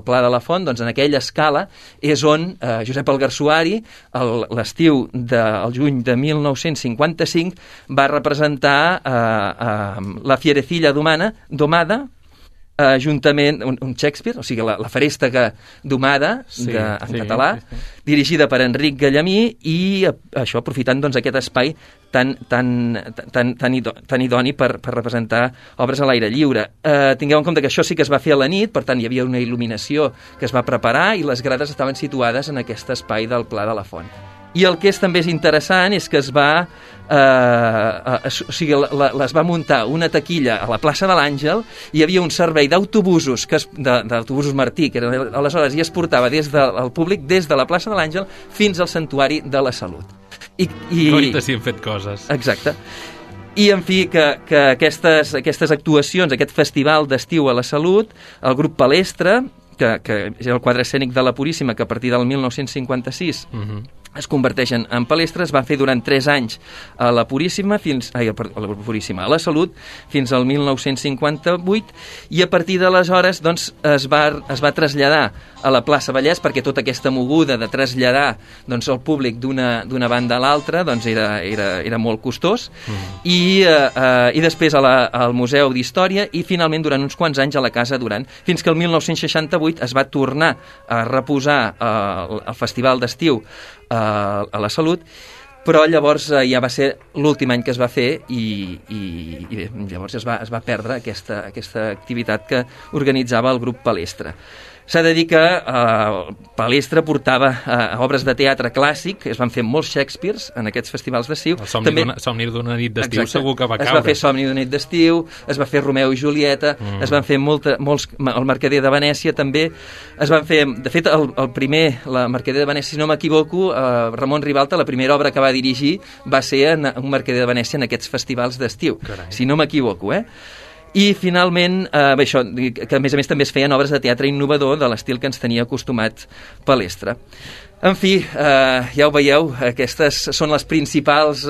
Pla de la Font, doncs en aquella escala és on Josep Algarsuari, l'estiu del juny de 1955, va representar la Fierecilla domada, juntament un Shakespeare, o sigui, la Ferèstega domada en català, dirigida per Enric Gallamí i això aprofitant doncs, aquest espai tan idoni per representar obres a l'aire lliure. Tingueu en compte que això sí que es va fer a la nit, per tant hi havia una il·luminació que es va preparar i les grades estaven situades en aquest espai del Pla de la Font. I el que també és interessant és que es va muntar una taquilla a la plaça de l'Àngel, hi havia un servei d'autobusos d'autobusos Martí, que aleshores ja es portava des del públic des de la plaça de l'Àngel fins al Santuari de la Salut. Ahorita sí hem fet coses. Exacte. I, en fi, que aquestes actuacions, aquest festival d'estiu a la Salut, el grup Palestra, que és el quadre escènic de la Puríssima, que a partir del 1956 es converteixen en palestres, es va fer durant 3 anys a la Puríssima, a la Salut, fins al 1958, i a partir d'aleshores doncs, es va traslladar a la plaça Vallès, perquè tota aquesta moguda de traslladar doncs, el públic d'una banda a l'altra doncs, era molt costós, i després al Museu d'Història, i finalment durant uns quants anys a la Casa Duran, fins que el 1968 es va tornar a reposar el Festival d'Estiu a la Salut, però llavors ja va ser l'últim any que es va fer i bé, llavors es va perdre aquesta activitat que organitzava el grup Palestra. S'ha de dir que Palestra portava obres de teatre clàssic, es van fer molts Shakespeares en aquests festivals d'estiu. El Somni d'una nit d'estiu segur que va caure. Es va fer Somni d'una nit d'estiu, es va fer Romeu i Julieta, es van fer molts, el Mercader de Venècia també, es van fer, de fet, la Mercader de Venècia, si no m'equivoco, Ramon Ribalta, la primera obra que va dirigir va ser un Mercader de Venècia en aquests festivals d'estiu, si no m'equivoco, I finalment, això, que a més també es feien obres de teatre innovador de l'estil que ens tenia acostumat Palestra. En fi, ja ho veieu, aquestes són les principals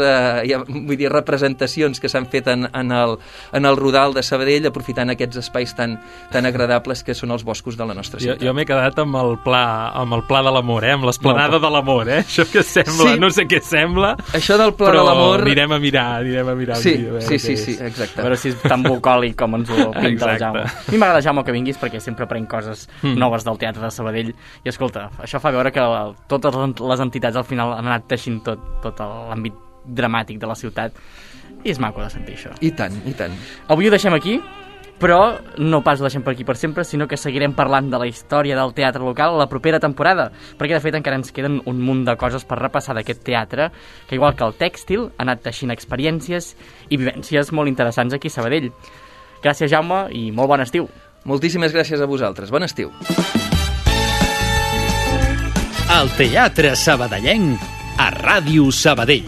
representacions que s'han fet en el Rodal de Sabadell, aprofitant aquests espais tan agradables que són els boscos de la nostra ciutat. Jo m'he quedat amb el pla de l'amor, amb l'esplanada de l'amor, Això que sembla, no sé què sembla, això del pla de l'amor... Però anirem a mirar. Sí, exacte. A veure si és tan bucòlic com ens ho pinta el Jaume. A mi m'agrada, Jaume, que vinguis perquè sempre prenc coses noves del Teatre de Sabadell i, escolta, això fa veure que totes les entitats al final han anat teixint tot l'àmbit dramàtic de la ciutat i és maco de sentir això. I tant. Avui ho deixem aquí, però no pas ho deixem per aquí per sempre, sinó que seguirem parlant de la història del teatre local a la propera temporada, perquè de fet encara ens queden un munt de coses per repassar d'aquest teatre, que igual que el tèxtil ha anat teixint experiències i vivències molt interessants aquí a Sabadell. Gràcies, Jaume, i molt bon estiu. Moltíssimes gràcies a vosaltres. Bon estiu. El Teatre Sabadellenc a Ràdio Sabadell.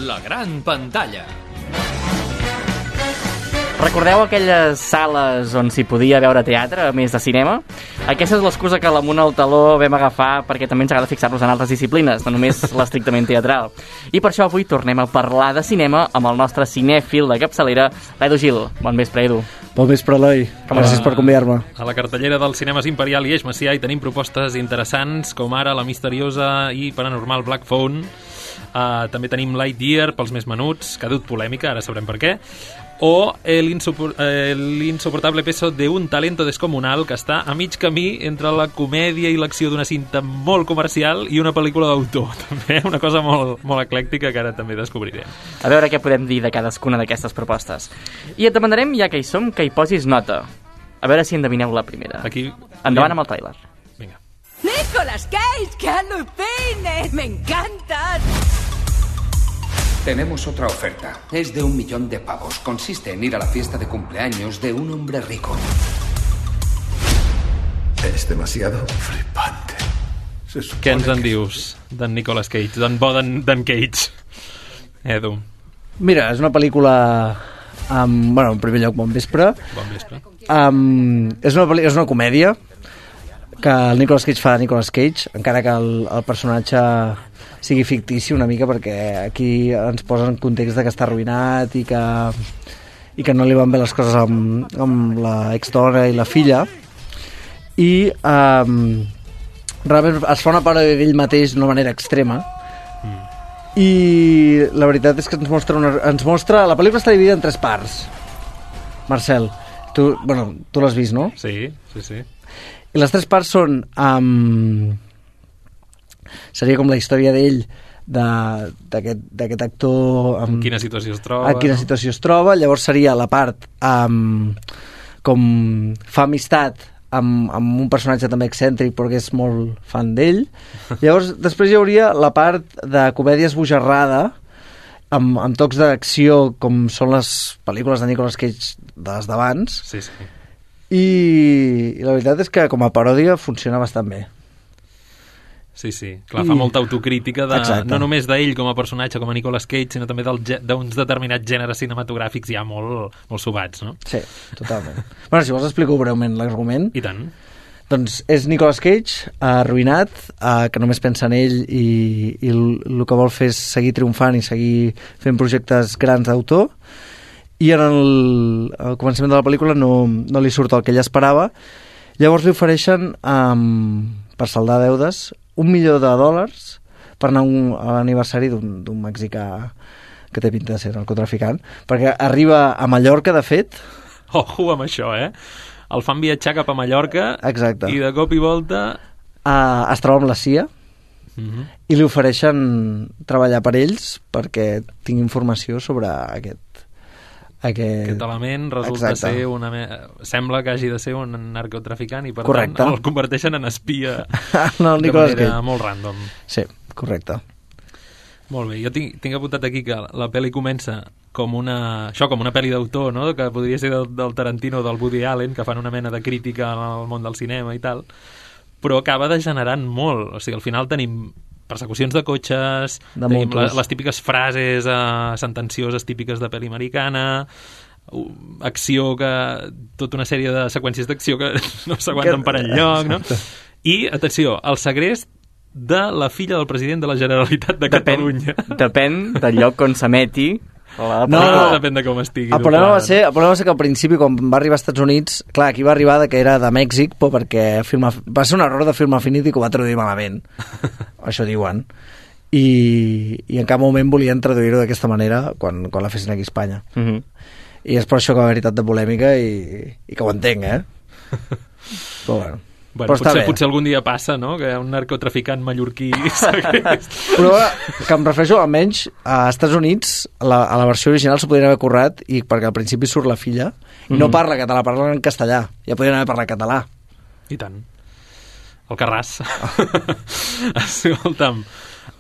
La gran pantalla. Recordeu aquelles sales on s'hi podia veure teatre, a més de cinema? Aquesta és l'excusa que l'Amunt al Taló vam agafar perquè també ens agrada fixar-nos en altres disciplines, no només l'estrictament teatral. I per això avui tornem a parlar de cinema amb el nostre cinèfil de capçalera, l'Edu Gil. Bon vespre, Edu. Bon vespre, Eloi. Gràcies per convidar-me. A la cartellera dels cinemes Imperial i Eix Macià hi tenim propostes interessants, com ara la misteriosa i paranormal Black Phone. També tenim Lightyear pels més menuts, que ha dut polèmica, ara sabrem per què. O l'insoportable peso de un talento descomunal, que està a mig camí entre la comèdia i l'acció d'una cinta molt comercial i una pel·lícula d'autor. També una cosa molt, molt eclèctica que ara també descobrirem. A veure què podem dir de cadascuna d'aquestes propostes. I et demanarem, ja que hi som, que hi posis nota. A veure si endevineu la primera. Aquí... Endavant amb el tràiler. Vinga. ¡Nicolas Cage! ¡Que alucine! ¡Me encantas! Tenemos otra oferta. Es de 1 millón de pavos. Consiste en ir a la fiesta de cumpleaños de un hombre rico. Es demasiado flipante. Què ens en dius d'en Nicolas Cage, d'en bo d'en Cage? Edu. Mira, és una pel·lícula bueno, en primer lloc, bon vespre. Bon vespre. És una comèdia que el Nicolas Cage fa de Nicolas Cage, encara que el personatge sigui fictici una mica, perquè aquí ens posa en context de que està arruïnat i que no li van bé les coses amb la exdona i la filla, i realment es fa una paròdia d'ell mateix d'una manera extrema. I la veritat és que ens mostra la pel·lícula està dividida en 3 parts. Marcel, tu l'has vist, no? Sí. I les 3 parts són seria com la història d'ell, d'aquest actor, en quina situació es troba. Llavors seria la part com fa amistat amb un personatge també excèntric, però que és molt fan d'ell. Llavors després hi hauria la part de comèdia esbojarrada amb tocs d'acció, com són les pel·lícules de Nicolas Cage de les d'abans. Sí. I la veritat és que com a paròdia funciona bastant bé. Sí. Clar, fa molta autocrítica no només d'ell com a personatge, com a Nicolas Cage, sinó també d'uns determinats gèneres cinematogràfics ja molt subats, no? Sí, totalment. Bueno, si vols explico breument l'argument. I tant. Doncs és Nicolas Cage, arruïnat, que només pensa en ell i el que vol fer és seguir triomfant i seguir fent projectes grans d'autor, i en el començament de la pel·lícula no li surt el que ell esperava. Llavors li ofereixen, per saldar deudes, $1 milió per anar a l'aniversari d'un mexicà que té pinta de ser narcotraficant, perquè arriba a Mallorca, de fet. Ojo amb això, el fan viatjar cap a Mallorca. Exacte. I de cop i volta es troba amb la CIA i li ofereixen treballar per ells perquè tingui informació sobre aquest element resulta ser sembla que hagi de ser un narcotraficant i per correcte. Tant el converteixen en espia no, de manera molt random. Sí, correcte. Molt bé, jo tinc apuntat aquí que la pel·li comença com una pel·li d'autor, no? Que podria ser del Tarantino o del Woody Allen, que fan una mena de crítica al món del cinema i tal, però acaba degenerant molt. O sigui, al final tenim persecucions de cotxes, les típiques frases sentencioses típiques de pel·li americana, acció tota una sèrie de seqüències d'acció que no s'aguanten per enlloc, no? I, atenció, el segrest de la filla del president de la Generalitat de Catalunya. Depèn del lloc on s'emeti. Depèn de com estigui. El problema va ser que al principi, quan va arribar als Estats Units, clar, aquí va arribar que era de Mèxic, però perquè va ser un error de Film Affinity que ho va traduir malament. Això diuen. I en cap moment volien traduir-ho d'aquesta manera quan la fessin aquí a Espanya. I és per això que va haver tant de polèmica i que ho entenc, Però bueno. Bueno, potser algun dia passa, no?, que un narcotraficant mallorquí però que em refereixo almenys a Estats Units, a la versió original s'ho podrien haver currat, i perquè al principi surt la filla i no parla català, parla en castellà, ja podrien haver parlat català. I tant. El Carràs. Escolta'm,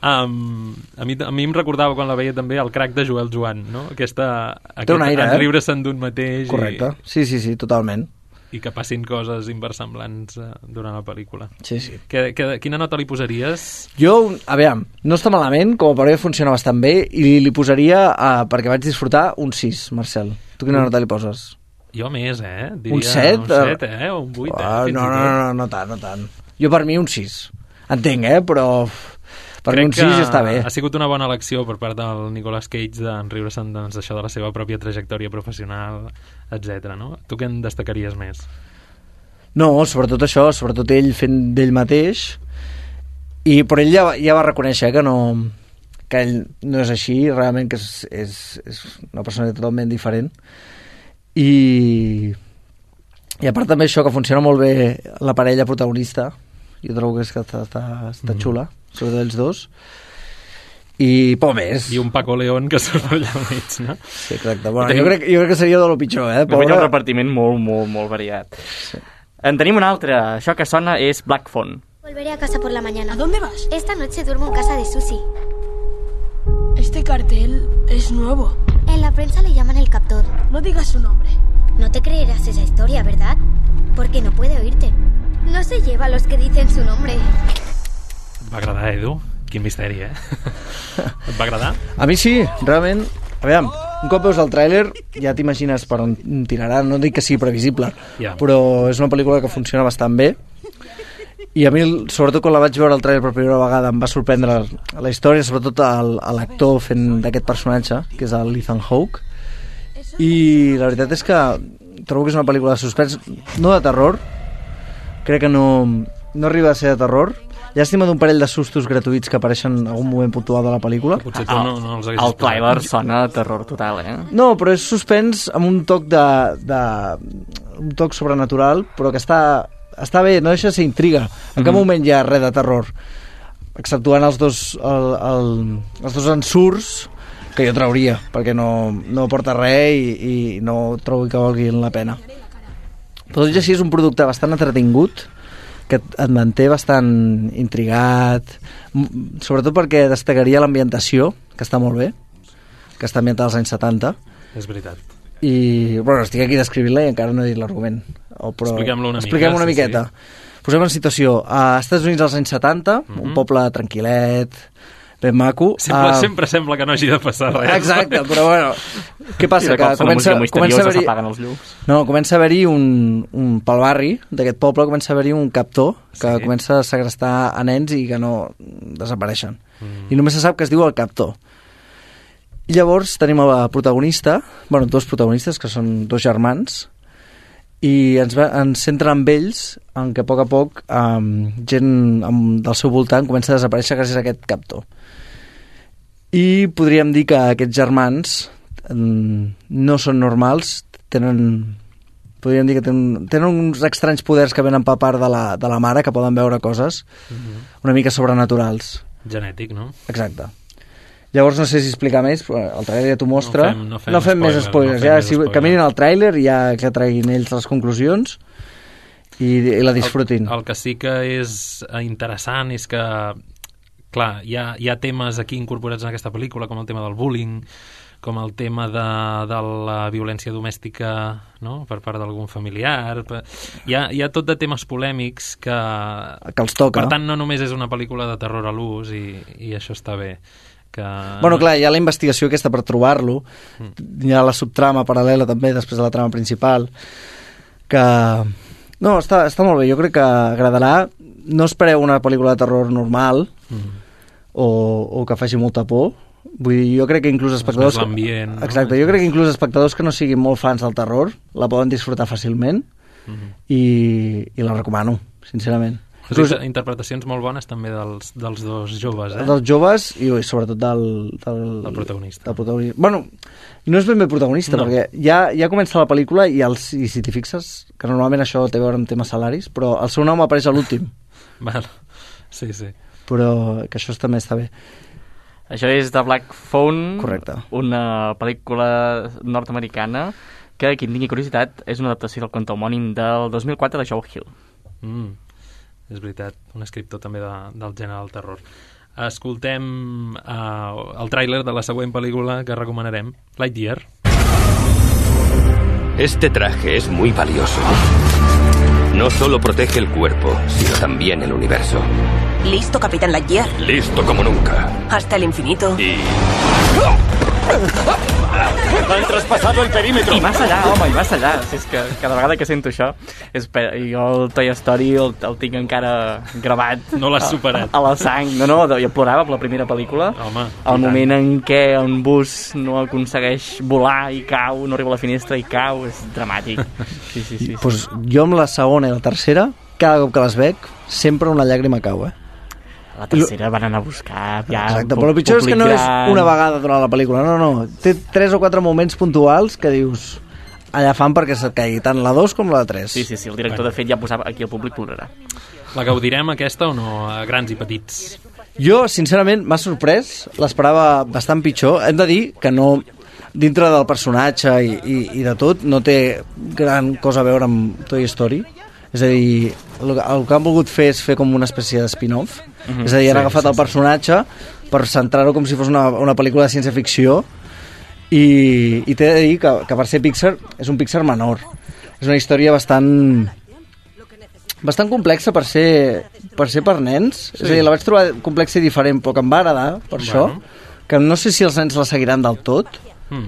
a mi em recordava quan la veia també el crac de Joel Joan, no? Aquest un aire, enriure-se'n d'un mateix. Correcte, sí, totalment. I que passin coses inversemblants durant la pel·lícula. Sí. Quina nota li posaries? Jo, aviam, no està malament, com a paròdia funciona bastant bé, i li posaria, perquè vaig disfrutar, un 6, Marcel. Tu quina nota li poses? Jo més, diria un 7? Un 7, o un 8, no tant. Jo per mi un 6. Entenc, però... Per mi un 6 està bé. Ha sigut una bona elecció per part del Nicolas Cage d'enriure-se'n d'això de la seva pròpia trajectòria professional, etc. No? Tu què en destacaries més? No, sobretot això, sobretot ell fent d'ell mateix, però ell ja va reconèixer que ell no és així, realment que és una persona totalment diferent. I a part també això, que funciona molt bé la parella protagonista, jo trobo que està xula, sobretot els dos, i poc més. I un Paco León que surt allà al mig, no? Sí, exacte. Bueno, jo crec que seria de lo pitjor, Pobre. Un repartiment molt variat. Sí. En tenim un altre. Això que sona és Black Phone. Volveré a casa por la mañana. ¿A dónde vas? Esta noche duermo en casa de Susi. Este cartel es nuevo. En la prensa le llaman el captor. No digas su nombre. No te creerás esa historia, ¿verdad? Porque no puede oírte. No se lleva a los que dicen su nombre. Va agradar, Edu? Quin misteri, Et va agradar? A mi sí, realment. Aviam, un cop veus el tràiler ja t'imagines per on tirarà. No dic que sigui previsible, però és una pel·lícula que funciona bastant bé. I a mi, sobretot quan la vaig veure el tràiler per primera vegada, em va sorprendre la història, sobretot l'actor fent d'aquest personatge, que és el Ethan Hawke. I la veritat és que trobo que és una pel·lícula de suspens, no de terror, crec que no arriba a ser de terror. Llàstima d'un parell de sustos gratuïts que apareixen en algun moment puntual de la pel·lícula. Potser tu no els haguessis el trailer sona a terror total, No, però és suspens amb un toc un toc sobrenatural, però que està bé, no deixa de ser intriga. En cap moment hi ha res de terror, exceptuant els dos ensurts que jo trauria, perquè no porta res i no trobo que valguin la pena. Però tot i així és un producte bastant entretingut, que et manté bastant intrigat, sobretot perquè destacaria l'ambientació, que està molt bé, que està ambientada als anys 70. És veritat. I, bueno, estic aquí descrivint-la i encara no he dit l'argument. Expliquem-lo una miqueta. Posem en situació. A Estats Units als anys 70, un poble tranquil·let, ben maco. Sempre sembla que no hagi de passar res. Exacte, però bueno, què passa? Que comença a haver-hi pel barri d'aquest poble comença a haver-hi un captor que comença a segrestar a nens i que no desapareixen. I només se sap que es diu el captor. I llavors tenim la protagonista, dos protagonistes, que són dos germans, i ens centren amb ells en què a poc gent del seu voltant comença a desaparèixer gràcies a aquest captor. I podríem dir que aquests germans no són normals, podríem dir que tenen uns estranys poders que venen per part de la mare, que poden veure coses una mica sobrenaturals. Genètic, no? Exacte. Llavors no sé si explicar més, però el tràiler ja t'ho mostra. No fem més spoilers. Que mirin el tràiler i ja que treguin ells les conclusions i la disfrutin. El que sí que és interessant és que, clar, hi ha temes aquí incorporats en aquesta pel·lícula, com el tema del bullying, com el tema de la violència domèstica, no?, per part d'algun familiar. Hi ha tot de temes polèmics que els toca. Per tant, no només és una pel·lícula de terror a l'ús i això està bé. Bueno, clar, hi ha la investigació aquesta per trobar-lo, hi ha la subtrama paral·lela també després de la trama principal, que no, està molt bé, jo crec que agradarà. No espereu una pel·lícula de terror normal o que faci molta por. Vull dir, jo crec que inclús espectadors exacte, jo crec que inclús espectadors que no siguin molt fans del terror la poden disfrutar fàcilment i la recomano, sincerament. Interpretacions molt bones també dels dos joves, dels joves i sobretot del protagonista. Bueno, no és ben bé protagonista, perquè ja comença la pel·lícula i si t'hi fixes, que normalment això té a veure amb temes salaris, però el seu nom apareix a l'últim. Sí. Però que això també està bé. Això és The Black Phone. Correcte. Una pel·lícula nord-americana que, qui en tingui curiositat, és una adaptació del conte homònim del 2004 de Joe Hill. És veritat, un escriptor també del gènere del terror. Escoltem el tràiler de la següent pel·lícula que recomanarem, Lightyear. Este traje es muy valioso. No solo protege el cuerpo, sino también el universo. ¿Listo, Capitán Lightyear? Listo como nunca. Hasta el infinito. Y... Han traspasado el perímetro. I más allà, home, i más allà. És que cada vegada que sento això, jo el Toy Story el tinc encara gravat. No l'has superat. A la sang. No, jo plorava per la primera pel·lícula. Home, el moment en què un bus no aconsegueix volar i cau, no arriba a la finestra i cau, és dramàtic. Sí. Pues jo amb la segona i la tercera, cada cop que les veig, sempre una llàgrima cau, La tercera van anar a buscar ja. Exacte, però el pitjor és que no és una vegada durant la pel·lícula, no. Té 3 o 4 moments puntuals que dius allà fan perquè se't caigui tant la 2 com la 3. Sí, el director de fet ja posava aquí el públic plorarà. La gaudirem aquesta o no, a grans i petits? Jo, sincerament, m'ha sorprès, l'esperava bastant pitjor. Hem de dir que no, dintre del personatge i de tot, no té gran cosa a veure amb Toy Story. És a dir, el que han volgut fer és fer com una espècie de spin-off. És a dir, han agafat el personatge per centrar-ho com si fos una pel·lícula de ciència-ficció i t'he de dir que per ser Pixar és un Pixar menor. És una història bastant complexa per ser per ser per nens. Sí. És a dir, la vaig trobar complexa i diferent, però que em va agradar, per això. Que no sé si els nens la seguiran del tot.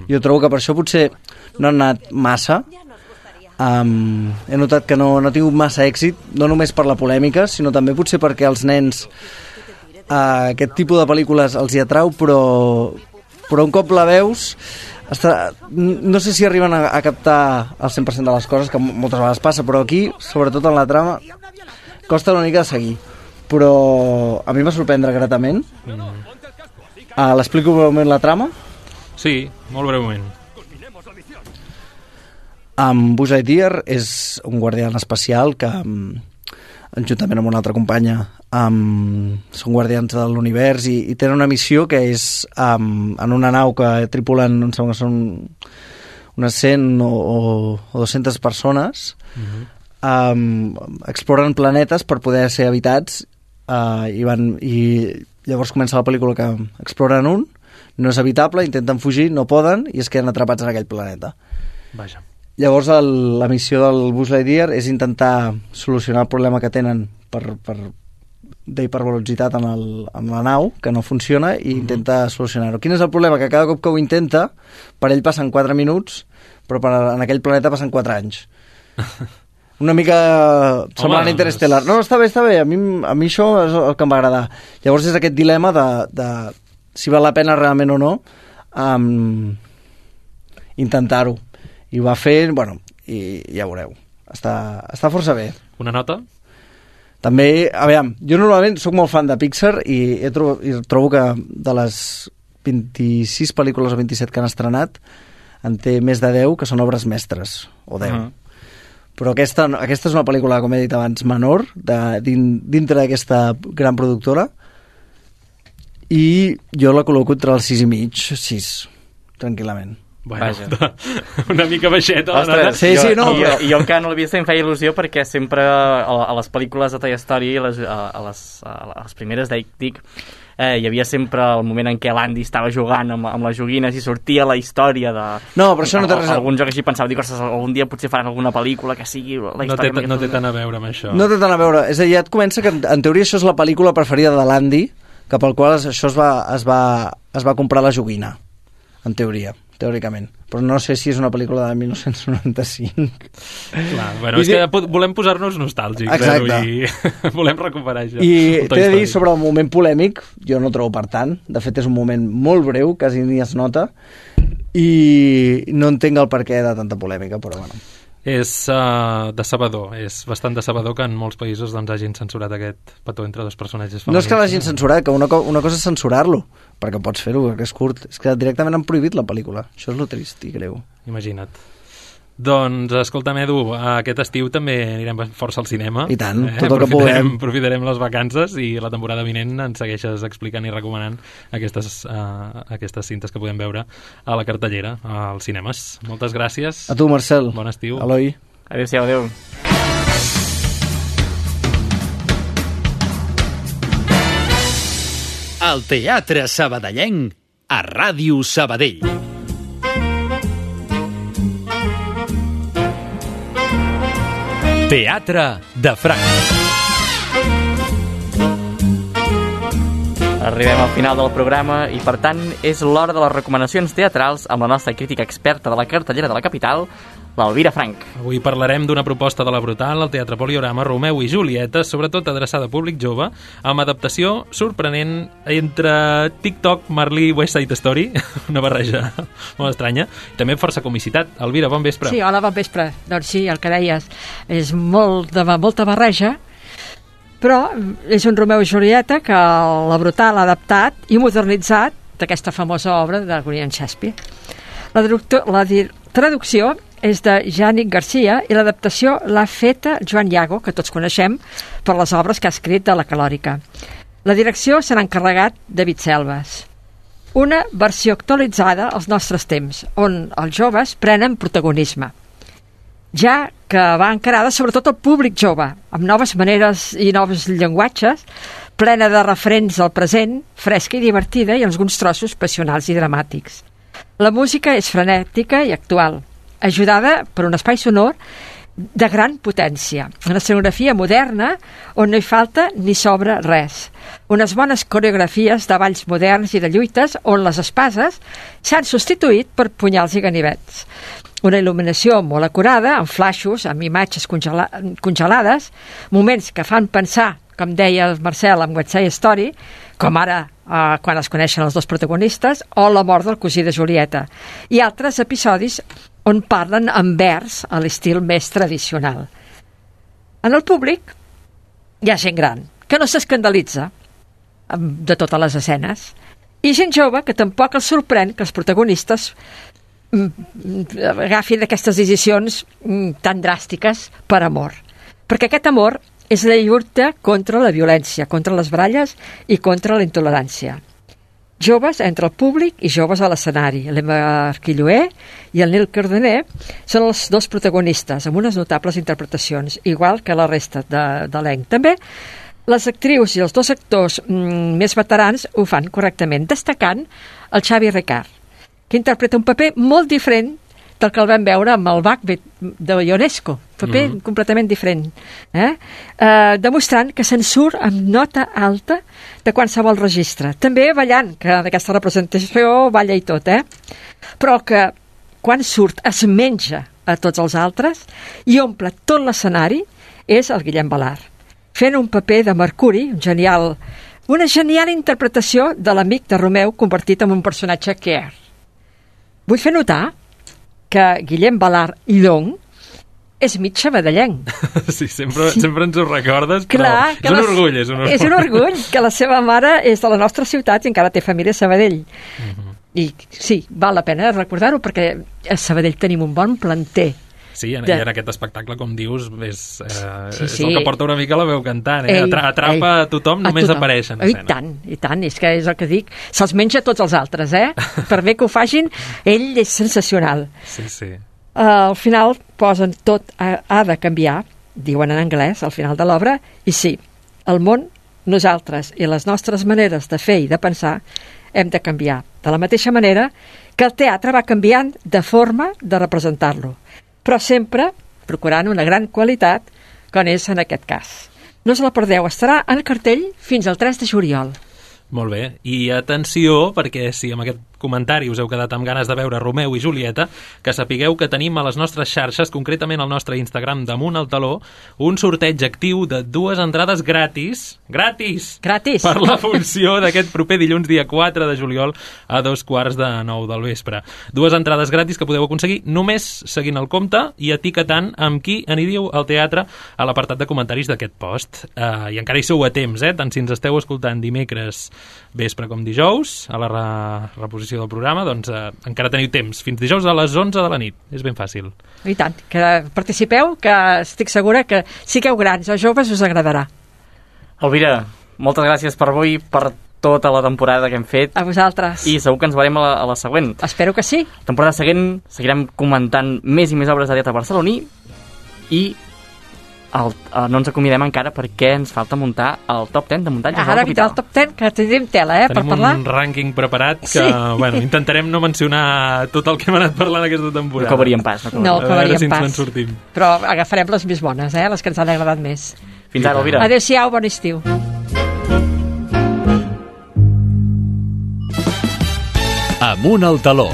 Jo trobo que per això potser no han anat massa. He notat que no ha tingut massa èxit, no només per la polèmica, sinó també potser perquè els nens aquest tipus de pel·lícules els hi atrau, però un cop la veus no sé si arriben a captar el 100% de les coses, que moltes vegades passa, però aquí, sobretot en la trama, costa una mica de seguir, però a mi va sorprendre gratament. L'explico breument la trama? Sí, molt breument. Buzz Lightyear és un guardià espacial que, juntament amb una altra companya, són guardians de l'univers i tenen una missió que és en una nau que tripulen, em sembla que són unes 100 o 200 persones, exploren planetes per poder ser habitats i llavors comença la pel·lícula que exploren un, no és habitable, intenten fugir, no poden i es queden atrapats en aquell planeta. Vaja. Llavors la missió del Buzz Lightyear és intentar solucionar el problema que tenen d'hipervelocitat en la nau, que no funciona, i intenta solucionar-ho. Quin és el problema? Que cada cop que ho intenta, per ell passen 4 minuts, però en aquell planeta passen 4 anys. Una mica semblant a Interstellar. No, està bé. A mi això és el que em va agradar. Llavors és aquest dilema de si val la pena realment o no intentar-ho. I ho va fer, i ja veureu. Està força bé. Una nota? També, a veure, jo normalment soc molt fan de Pixar i trobo que de les 26 pel·lícules o 27 que han estrenat en té més de 10 que són obres mestres, o 10. Però aquesta és una pel·lícula, com he dit abans, menor, dintre d'aquesta gran productora, i jo la col·loco entre el 6,5, 6, tranquil·lament. Bueno, una mica baixeta. Ostres, jo encara no l'he vist, em feia il·lusió perquè sempre a les pel·lícules de Toy Story, a les primeres dic, hi havia sempre el moment en què l'Andy estava jugant amb les joguines i sortia la història de... No, però això no té res... Algun joc així pensava, dic, ostres, algun dia potser faran alguna pel·lícula que sigui la història... No té tant a veure amb això. No té tant a veure. És a dir, ja et comença que en teoria això és la pel·lícula preferida de l'Andy, cap al qual això es va comprar la joguina, en teoria, teòricament. Però no sé si és una pel·lícula de 1995. Clar, bueno, és que volem posar-nos nostàlgics. Exacte. I volem recuperar això. I t'he de dir, sobre el moment polèmic, jo no trobo per tant. De fet, és un moment molt breu, quasi ni es nota, i no entenc el perquè de tanta polèmica, però bueno. És decebedor, és bastant decebedor que en molts països doncs, hagin censurat aquest petó entre dos personatges femenins. No és que l'hagin censurat, que una cosa és censurar-lo, perquè pots fer-ho, perquè és curt. És que directament han prohibit la pel·lícula. Això és lo trist i greu. Imagina't. Doncs, escolta'm, Edu, aquest estiu també anirem força al cinema. I tant, tot el que puguem. Aprofitarem les vacances i la temporada vinent ens segueixes explicant i recomanant aquestes cintes que podem veure a la cartellera, als cinemes. Moltes gràcies. A tu, Marcel. Bon estiu. Eloi. Adéu-siau, adéu. El Teatre Sabadellenc a Ràdio Sabadell. Teatre de Franc. Arribem al final del programa i, per tant, és l'hora de les recomanacions teatrals amb la nostra crítica experta de la cartellera de la capital, l'Elvira Frank. Avui parlarem d'una proposta de la Brutal al Teatre Poliorama, Romeu i Julieta, sobretot adreçada a públic jove, amb adaptació sorprenent entre TikTok, Marley i West Side Story, una barreja molt estranya, i també força comicitat. Elvira, bon vespre. Sí, hola, bon vespre. Doncs sí, el que deies, és molta barreja, però és un Romeu i Julieta que la Brutal ha adaptat i modernitzat d'aquesta famosa obra de William Shakespeare. La traducció és de Jànic Garcia i l'adaptació l'ha feta Joan Iago, que tots coneixem per les obres que ha escrit de la Calòrica. La direcció se n'ha encarregat David Selves. Una versió actualitzada als nostres temps, on els joves prenen protagonisme, ja que va encarada sobretot al públic jove, amb noves maneres i nous llenguatges, plena de referents al present, fresca i divertida i alguns trossos passionals i dramàtics. La música és frenètica i actual, ajudada per un espai sonor de gran potència. Una escenografia moderna on no hi falta ni sobra res. Unes bones coreografies de balls moderns i de lluites on les espases s'han substituït per punyals i ganivets. Una il·luminació molt acurada, amb flaixos, amb imatges congelades, moments que fan pensar, com deia el Marcel amb West Side Story, com ara quan es coneixen els dos protagonistes, o la mort del cosí de Julieta, i altres episodis on parlen en vers a l'estil més tradicional. En el públic hi ha gent gran, que no s'escandalitza de totes les escenes, i gent jove que tampoc els sorprèn que els protagonistes agafin aquestes decisions tan dràstiques per amor. Perquè aquest amor és la lluita contra la violència, contra les baralles i contra la intolerància. Joves entre el públic i joves a l'escenari. L'Emma Arquilloé i el Nil Cardener són els dos protagonistes, amb unes notables interpretacions, igual que la resta de l'elenc. També les actrius i els dos actors més veterans ho fan correctament, destacant el Xavi Ricard, que interpreta un paper molt diferent del que el vam veure amb el Macbeth de Ionesco, paper completament diferent, demostrant que se'n surt amb nota alta de qualsevol registre. També ballant, que en aquesta representació balla i tot, però que quan surt es menja a tots els altres i omple tot l'escenari és el Guillem Balart, fent un paper de Mercuri, una genial interpretació de l'amic de Romeu convertit en un personatge queer. Vull fer notar que Guillem Balart Llong és mig sabadellenc. Sí, sempre ens ho recordes, clar, però és un orgull. És un orgull que la seva mare és de la nostra ciutat i encara té família a Sabadell. I sí, val la pena recordar-ho perquè a Sabadell tenim un bon planter. Sí, i en aquest espectacle, com dius, és el que porta una mica la veu cantant. Atrapa a tothom, només apareix en escena. I tant, és que és el que dic. Se'ls menja tots els altres, Per bé que ho facin, ell és sensacional. Sí. Al final posen tot ha de canviar, diuen en anglès, al final de l'obra, i sí, el món, nosaltres i les nostres maneres de fer i de pensar hem de canviar. De la mateixa manera que el teatre va canviant de forma de representar-lo, però sempre procurant una gran qualitat, com és en aquest cas. No us la perdeu, estarà en cartell fins al 3 de juliol. Molt bé, i atenció, perquè si amb aquest comentari us heu quedat amb ganes de veure Romeu i Julieta, que sapigueu que tenim a les nostres xarxes, concretament al nostre Instagram Damunt el Taló, un sorteig actiu de 2 entrades gratis per la funció d'aquest proper dilluns, dia 4 de juliol, a 2:45 del vespre. 2 entrades gratis que podeu aconseguir només seguint el compte i etiquetant amb qui aniríeu al teatre a l'apartat de comentaris d'aquest post. I encara hi sou a temps, tant si ens esteu escoltant dimecres vespre com dijous, a la reposició del programa, doncs encara teniu temps, fins dijous a les 11 de la nit. És ben fàcil. I tant, que participeu, que estic segura que sigueu grans o joves us agradarà. Elvira, moltes gràcies per avui, per tota la temporada que hem fet. A vosaltres. I segur que ens veurem a la següent. Espero que sí. La temporada següent seguirem comentant més i més obres de teatre barceloní i no ens acomiadem encara perquè ens falta muntar el top 10 de muntatges de la capital. Ara vindrà el top 10, que tindrem tela, per parlar. Tenim un rànquing preparat que, intentarem no mencionar tot el que hem anat parlant aquesta temporada. No acabaríem pas. No acabaríem pas. Sortim. Però agafarem les més bones, les que ens han agradat més. Fins ara, Elvira. Adéu-siau, bon estiu. Amunt al taló.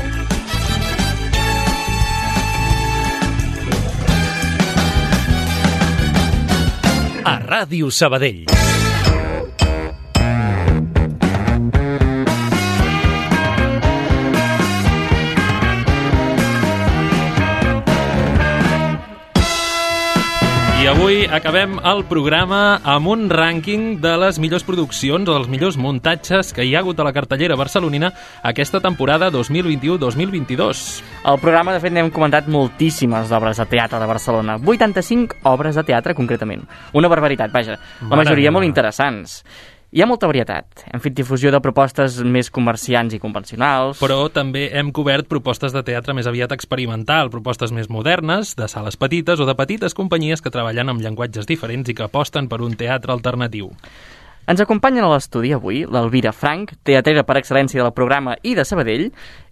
A Ràdio Sabadell. I avui acabem el programa amb un rànquing de les millors produccions o dels millors muntatges que hi ha hagut a la cartellera barcelonina aquesta temporada 2021-2022. Al programa, de fet, n'hem comentat moltíssimes obres de teatre de Barcelona. 85 obres de teatre, concretament. Una barbaritat, vaja. La majoria molt interessants. Hi ha molta varietat. Hem fet difusió de propostes més comerciants i convencionals. Però també hem cobert propostes de teatre més aviat experimental, propostes més modernes, de sales petites o de petites companyies que treballen amb llenguatges diferents i que aposten per un teatre alternatiu. Ens acompanyen a l'estudi avui l'Elvira Frank, teatrera per excel·lència del programa i de Sabadell,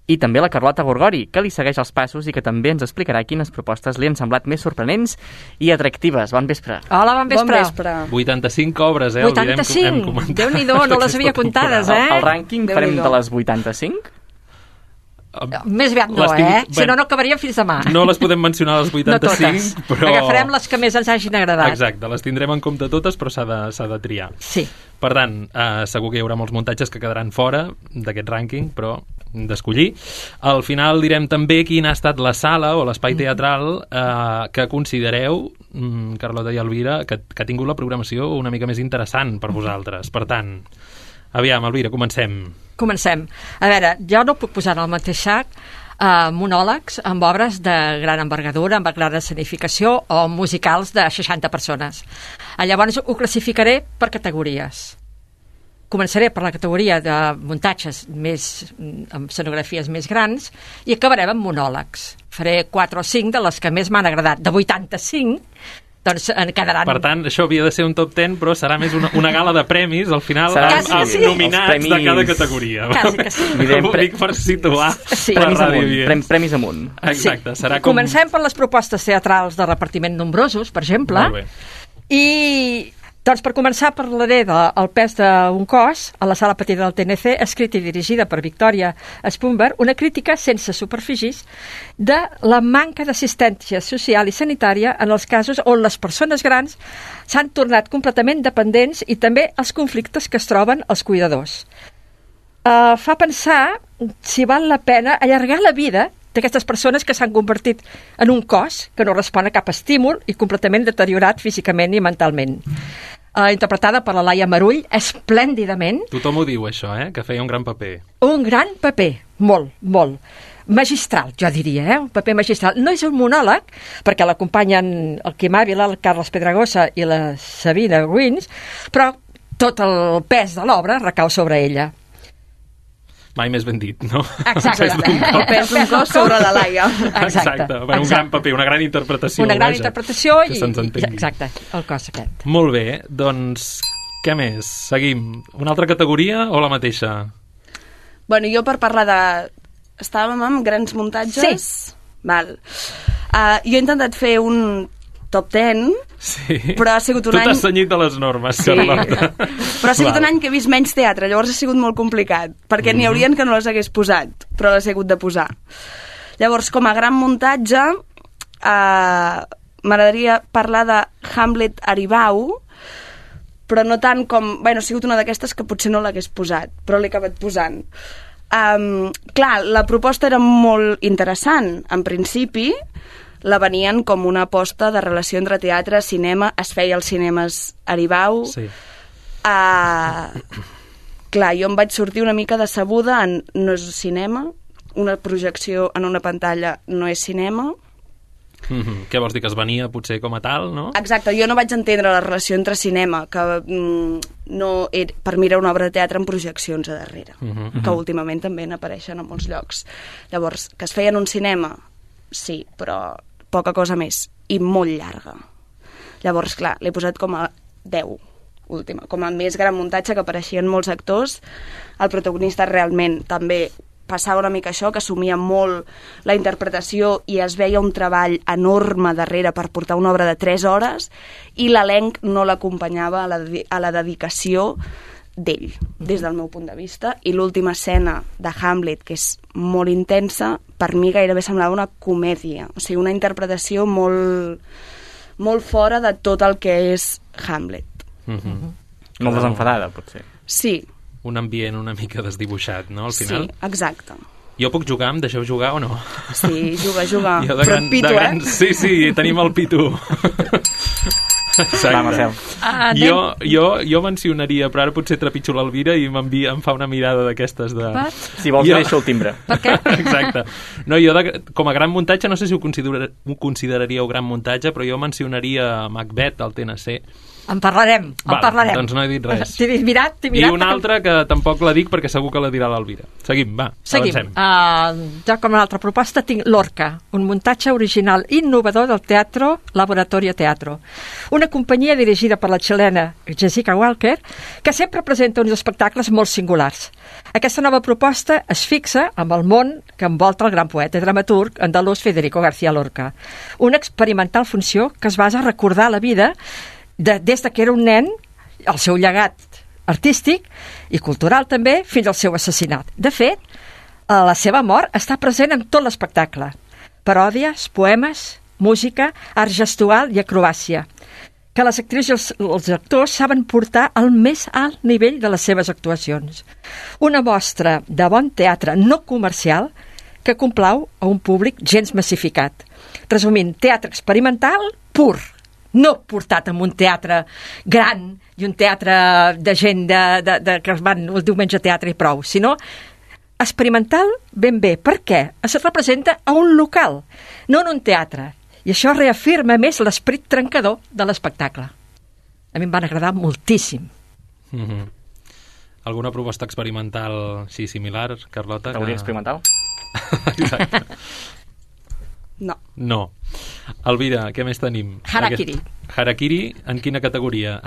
I també la Carlota Gorgori, que li segueix els passos i que també ens explicarà quines propostes li han semblat més sorprenents i atractives. Bon vespre. Hola, bon vespre. 85 obres, eh? 85? Déu-n'hi-do, no les havia comptades, eh? El rànquing farem de les 85? Més aviat no, Si no, no acabaríem fins demà. No les podem mencionar les 85, no totes. Però... Agafarem les que més ens hagin agradat. Exacte, les tindrem en compte totes, però s'ha de triar. Sí. Per tant, segur que hi haurà molts muntatges que quedaran fora d'aquest rànquing, però d'escollir. Al final direm també quina ha estat la sala o l'espai teatral que considereu, Carlota i Elvira, que ha tingut la programació una mica més interessant per vosaltres. Per tant, aviam, Elvira, comencem. Comencem. A veure, jo no puc posar en el mateix sac monòlegs amb obres de gran envergadura, amb gran escenificació o musicals de 60 persones. Llavors ho classificaré per categories. Començaré per la categoria de muntatges amb escenografies més grans i acabarem amb monòlegs. Faré 4 o 5 de les que més m'han agradat. De 85, doncs en quedaran... Per tant, això havia de ser un top 10, però serà més una gala de premis, al final, amb nominats de cada categoria. Quasi que sí. Ho dic per situar la ràdio. Premis amunt. Exacte. Serà com... Comencem per les propostes teatrals de repartiment nombrosos, per exemple. Molt bé. I... Doncs per començar parlaré del pes d'un cos a la sala petita del TNC, escrita i dirigida per Victòria Spunberg, una crítica sense superfícies de la manca d'assistència social i sanitària en els casos on les persones grans s'han tornat completament dependents i també els conflictes que es troben els cuidadors. Fa pensar si val la pena allargar la vida d'aquestes persones que s'han convertit en un cos que no respon a cap estímul i completament deteriorat físicament i mentalment. Interpretada per la Laia Marull esplèndidament. Tothom ho diu, això, que feia un gran paper. Un gran paper, molt, molt. Magistral, jo diria, un paper magistral. No és un monòleg, perquè l'acompanyen el Quim Ávila, el Carles Pedragosa i la Sabina Ruins, però tot el pes de l'obra recau sobre ella. Mai més ben dit, no? Exacte. El pes d'un cos sobre la Laia. Exacte. Un gran paper, una gran interpretació. Una gran interpretació i... Exacte, el cos aquest. Molt bé, doncs, què més? Seguim. Una altra categoria o la mateixa? Bueno, jo per parlar de... Estàvem amb grans muntatges? Sí. Val. Jo he intentat fer un top 10, sí. Però ha sigut un any... Tu t'has cenyit de les normes, Carlota. Però ha sigut un any que he vist menys teatre, llavors ha sigut molt complicat, perquè n'hi haurien que no les hagués posat, però les he hagut de posar. Llavors, com a gran muntatge, m'agradaria parlar de Hamlet Aribau, però no tant com... Bueno, ha sigut una d'aquestes que potser no l'hagués posat, però l'he acabat posant. Clar, la proposta era molt interessant, en principi, la venien com una aposta de relació entre teatre i cinema, es feia als cinemes Aribau. Sí. Clar, jo em vaig sortir una mica decebuda en no és cinema, una projecció en una pantalla no és cinema. Què vols dir, que es venia potser com a tal, no? Exacte, jo no vaig entendre la relació entre cinema, que no era, per mi era una obra de teatre amb projeccions a darrere, que últimament també n'apareixen a molts llocs. Llavors, que es feia en un cinema, sí, però poca cosa més, i molt llarga. Llavors, clar, l'he posat com a 10, última, com a més gran muntatge, que apareixien molts actors. El protagonista realment també passava una mica això, que assumia molt la interpretació i es veia un treball enorme darrere per portar una obra de 3 hores, i l'elenc no l'acompanyava a la dedicació d'ell, des del meu punt de vista. I l'última escena de Hamlet, que és molt intensa, per mi gairebé semblava una comèdia, o sigui, una interpretació molt, molt fora de tot el que és Hamlet. Molt desenfadada, potser. Sí. Un ambient una mica desdibuixat, no, al final? Sí, exacte. Jo puc jugar? Em deixeu jugar o no? Sí, juga. Però et pito, Sí, tenim el pito. Exacte. Jo mencionaria, però ara potser trepitjo l'Elvira i em fa una mirada d'aquestes de... Si vols deixo el timbre. Per què? Exacte. No, jo com a gran muntatge, no sé si ho consideraríeu gran muntatge, però jo mencionaria Macbeth al TNC. En parlarem. Doncs no he dit res. T'he mirat. I una altra que tampoc la dic perquè segur que la dirà l'Elvira. Seguim, avancem. Jo com una altra proposta tinc Lorca, un muntatge original innovador del Teatro Laboratorio Teatro. una companyia dirigida per la xilena Jessica Walker, que sempre presenta uns espectacles molt singulars. Aquesta nova proposta es fixa amb el món que envolta el gran poeta i dramaturg andalús Federico García Lorca. Una experimental funció que es basa a recordar la vida des que era un nen, el seu llegat artístic i cultural també, fins al seu assassinat. De fet, la seva mort està present en tot l'espectacle. Paròdies, poemes, música, art gestual i acrobàcia, que les actrius i els actors saben portar al més alt nivell de les seves actuacions. Una mostra de bon teatre no comercial que complau a un públic gens massificat. Resumint, teatre experimental pur, no portat en un teatre gran i un teatre de gent que van el diumenge a teatre i prou, sinó experimental ben bé. Per què? Es representa a un local, no en un teatre. I això reafirma més l'esperit trencador de l'espectacle. A mi em van agradar moltíssim. Alguna proposta experimental així similar, Carlota? Teoria experimental? Exacte. No. Elvira, què més tenim? Harakiri. Harakiri, en quina categoria?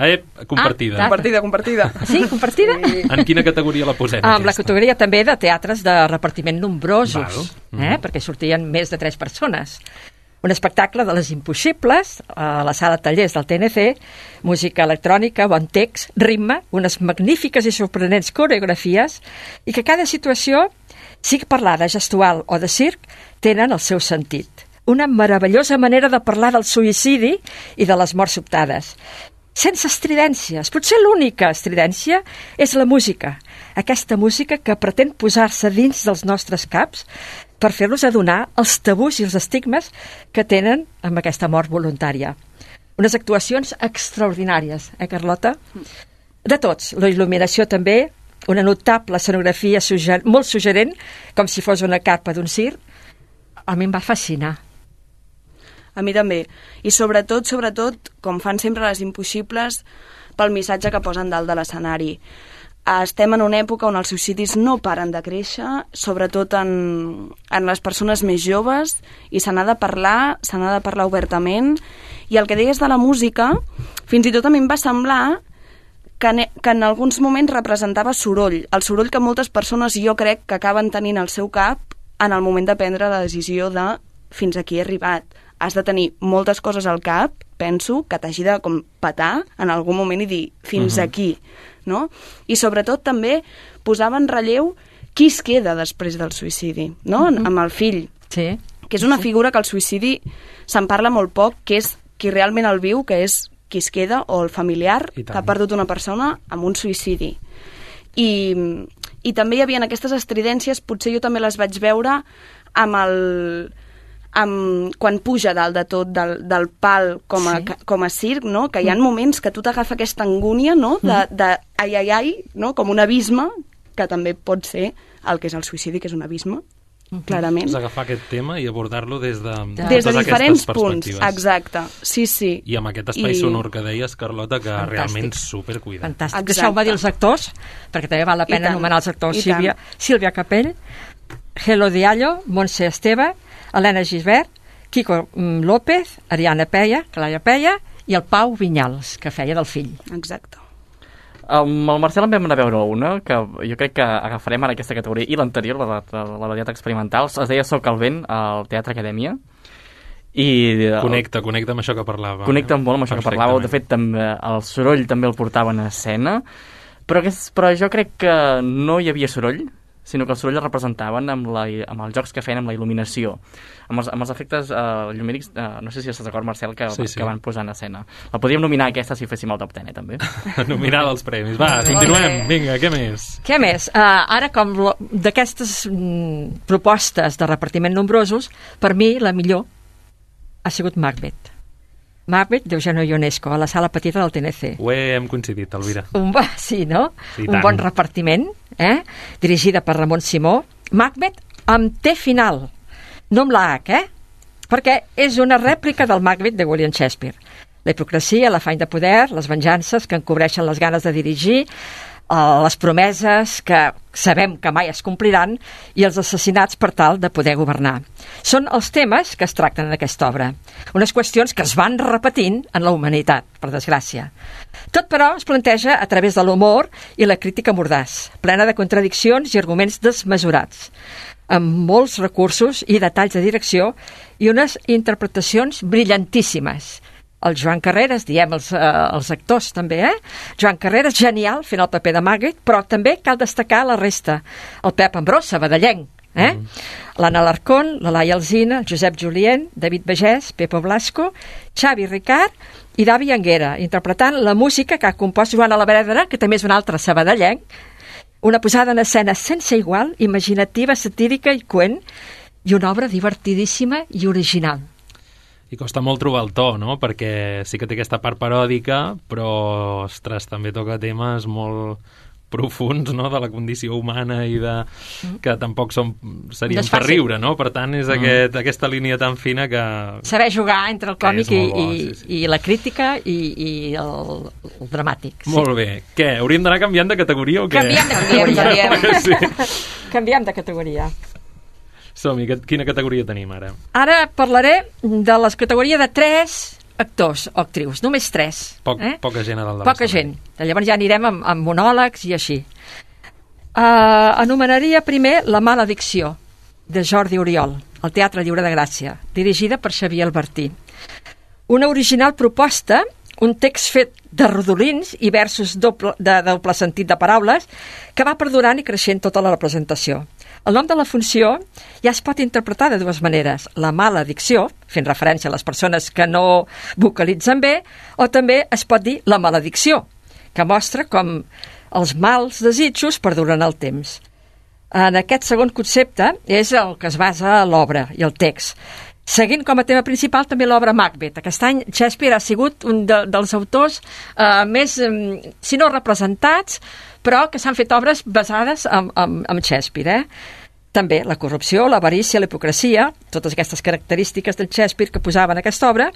Compartida. Compartida. Sí, compartida? En quina categoria la posem? Amb la categoria també de teatres de repartiment nombrosos, perquè sortien més de 3 persones. Un espectacle de les impossibles a la sala tallers del TNC, música electrònica, bon text, ritme, unes magnífiques i sorprenents coreografies, i que cada situació, sigui parlada, gestual o de circ, tenen el seu sentit. Una meravellosa manera de parlar del suïcidi i de les morts sobtades. Sense estridències. Potser l'única estridència és la música. Aquesta música que pretén posar-se dins dels nostres caps per fer-nos adonar els tabús i els estigmes que tenen amb aquesta mort voluntària. Unes actuacions extraordinàries, Carlota? De tots. La il·luminació també, una notable escenografia molt suggerent, com si fos una carpa d'un circ. A mi em va fascinar. A mi també. I sobretot, com fan sempre les impossibles, pel missatge que posen dalt de l'escenari. Estem en una època on els suïcidis no paren de créixer, sobretot en les persones més joves, i se n'ha de parlar obertament. I el que deies de la música, fins i tot a mi em va semblar que en alguns moments representava soroll, el soroll que moltes persones jo crec que acaben tenint al seu cap en el moment de prendre la decisió de fins aquí he arribat. Has de tenir moltes coses al cap, penso, que t'hagi de com petar en algun moment i dir fins aquí, no? I sobretot també posava en relleu qui es queda després del suïcidi, no? Amb el fill. Sí. Que és una figura que el suïcidi se'n parla molt poc, que és qui realment el viu, que és qui es queda, o el familiar que ha perdut una persona amb un suïcidi. I també hi havia aquestes estridències, potser jo també les vaig veure quan puja dalt de tot del pal com a circ, no? Que hi ha moments que tu t'agafa aquesta angúnia, no? De ai, no? Com un abisme, que també pot ser el que és el suïcidi, que és un abisme, clarament. És agafar aquest tema i abordar-lo des de diferents punts, exacte, sí. I amb aquest espai sonor que deies, Carlota, que realment supercuidat. Fantàstic. Deixeu-me dir els actors, perquè també val la pena anomenar els actors. Sílvia Capell, Gelo Diallo, Montse Esteve, Helena Gisbert, Quico López, Ariana Peia, Clara Peia i el Pau Vinyals, que feia del fill. Exacte. Amb el Marcel en vam anar a veure una, que jo crec que agafarem ara aquesta categoria, i l'anterior, la de teatre experimental, es deia Soc el vent, al Teatre Acadèmia. Connecta amb això que parlàvem. Connecta molt amb això que parlàveu. De fet, el soroll també el portaven a escena, però jo crec que no hi havia soroll, sinó que el soroll el representaven amb els jocs que feien amb la il·luminació, amb els efectes llumínics, no sé si estàs d'acord, Marcel, que van posar en escena. La podríem nominar aquesta si féssim el top 10, també. Nominar els premis. Va, continuem. Vinga, què més? Què més? Ara, com d'aquestes propostes de repartiment nombrosos, per mi la millor ha sigut Macbeth. Macbeth d'Eugenio Ionesco, a la sala petita del TNC. Ho hem coincidit, Elvira. Sí, no? Sí, un bon repartiment, dirigida per Ramon Simó. Macbeth amb T final, no amb la H, perquè és una rèplica del Macbeth de William Shakespeare. La hipocresia, l'afany de poder, les venjances que encobreixen les ganes de dirigir, les promeses que sabem que mai es compliran i els assassinats per tal de poder governar. Són els temes que es tracten en aquesta obra, unes qüestions que es van repetint en la humanitat, per desgràcia. Tot, però, es planteja a través de l'humor i la crítica mordaç, plena de contradiccions i arguments desmesurats, amb molts recursos i detalls de direcció i unes interpretacions brillantíssimes. El Joan Carreras, diem els actors també, Joan Carreras, genial, fent el paper de Magritte, però també cal destacar la resta. El Pep Ambrós, sabadellenc, l'Anna Alarcón, la Laia Alsina, el Josep Julien, David Bagès, Pepo Blasco, Xavi Ricard i Davi Anguera, interpretant la música que ha compost Joan Alavedra, que també és un altre sabadellenc, una posada en escena sense igual, imaginativa, satírica i coent, i una obra divertidíssima i original. I costa molt trobar el to, no? Perquè sí que té aquesta part paròdica, però, ostres, també toca temes molt profuns, no?, de la condició humana i de... que tampoc serien per riure, no? Per tant, és aquesta línia tan fina que... Saber jugar entre el còmic i la crítica i el dramàtic. Molt bé. Què? Hauríem d'anar canviant de categoria o què? Canviem de categoria. Som-hi, quina categoria tenim ara? Ara parlaré de la categoria de 3 actors o actrius, només 3. Poca gent a dalt de Poca gent. Llavors ja anirem amb monòlegs i així. Anomenaria primer La maledicció, de Jordi Oriol, al Teatre Lliure de Gràcia, dirigida per Xavier Albertí. Una original proposta, un text fet de rodolins i versos de doble sentit de paraules que va perdurant i creixent tota la representació. El nom de la funció ja es pot interpretar de dues maneres. La maledicció, fent referència a les persones que no vocalitzen bé, o també es pot dir la maledicció, que mostra com els mals desitjos perduren el temps. En aquest segon concepte és el que es basa l'obra i el text. Seguint com a tema principal també l'obra Macbeth. Aquest any Shakespeare ha sigut un dels autors més, si no representats, però que s'han fet obres basades en Shakespeare. També la corrupció, l'avarícia, la hipocresia, totes aquestes característiques del Shakespeare que posava en aquesta obra,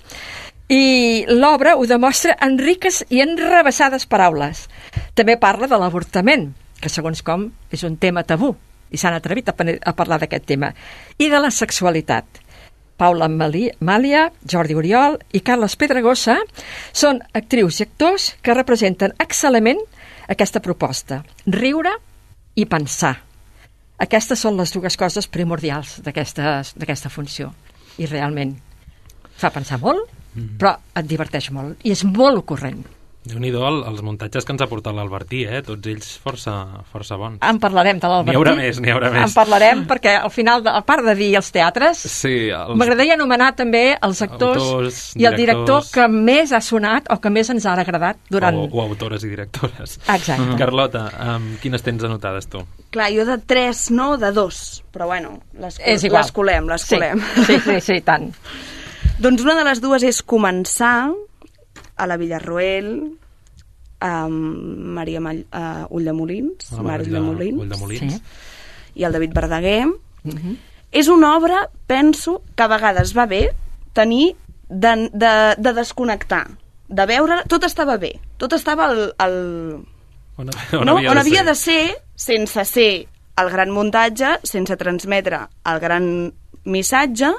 i l'obra ho demostra en riques i enrevessades paraules. També parla de l'avortament, que segons com és un tema tabú, i s'han atrevit a parlar d'aquest tema, i de la sexualitat. Paula Màlia, Jordi Oriol i Carles Pedregosa són actrius i actors que representen excel·lentment aquesta proposta, riure i pensar. Aquestes són les dues coses primordials d'aquesta funció. I realment fa pensar molt, però et diverteix molt. I és molt ocorrent. Déu-n'hi-do els muntatges que ens ha portat l'Albertí, tots ells força bons. En parlarem de l'Albertí. N'hi haurà més. En parlarem perquè al final, a part de dir els teatres, m'agradaria anomenar també els actors i el director que més ha sonat o que més ens ha agradat durant... O autores i directores. Exacte. Carlota, quines tens anotades tu? Clar, jo de 3 no, de 2, però bueno, les colem. Sí, tant. Doncs una de les dues és començar a la Villarroel, Maria Ulldemolins, i el David Verdaguer. És una obra, penso, que a vegades va bé tenir de desconnectar, de veure, tot estava bé, tot estava on havia de ser, sense ser el gran muntatge, sense transmetre el gran missatge,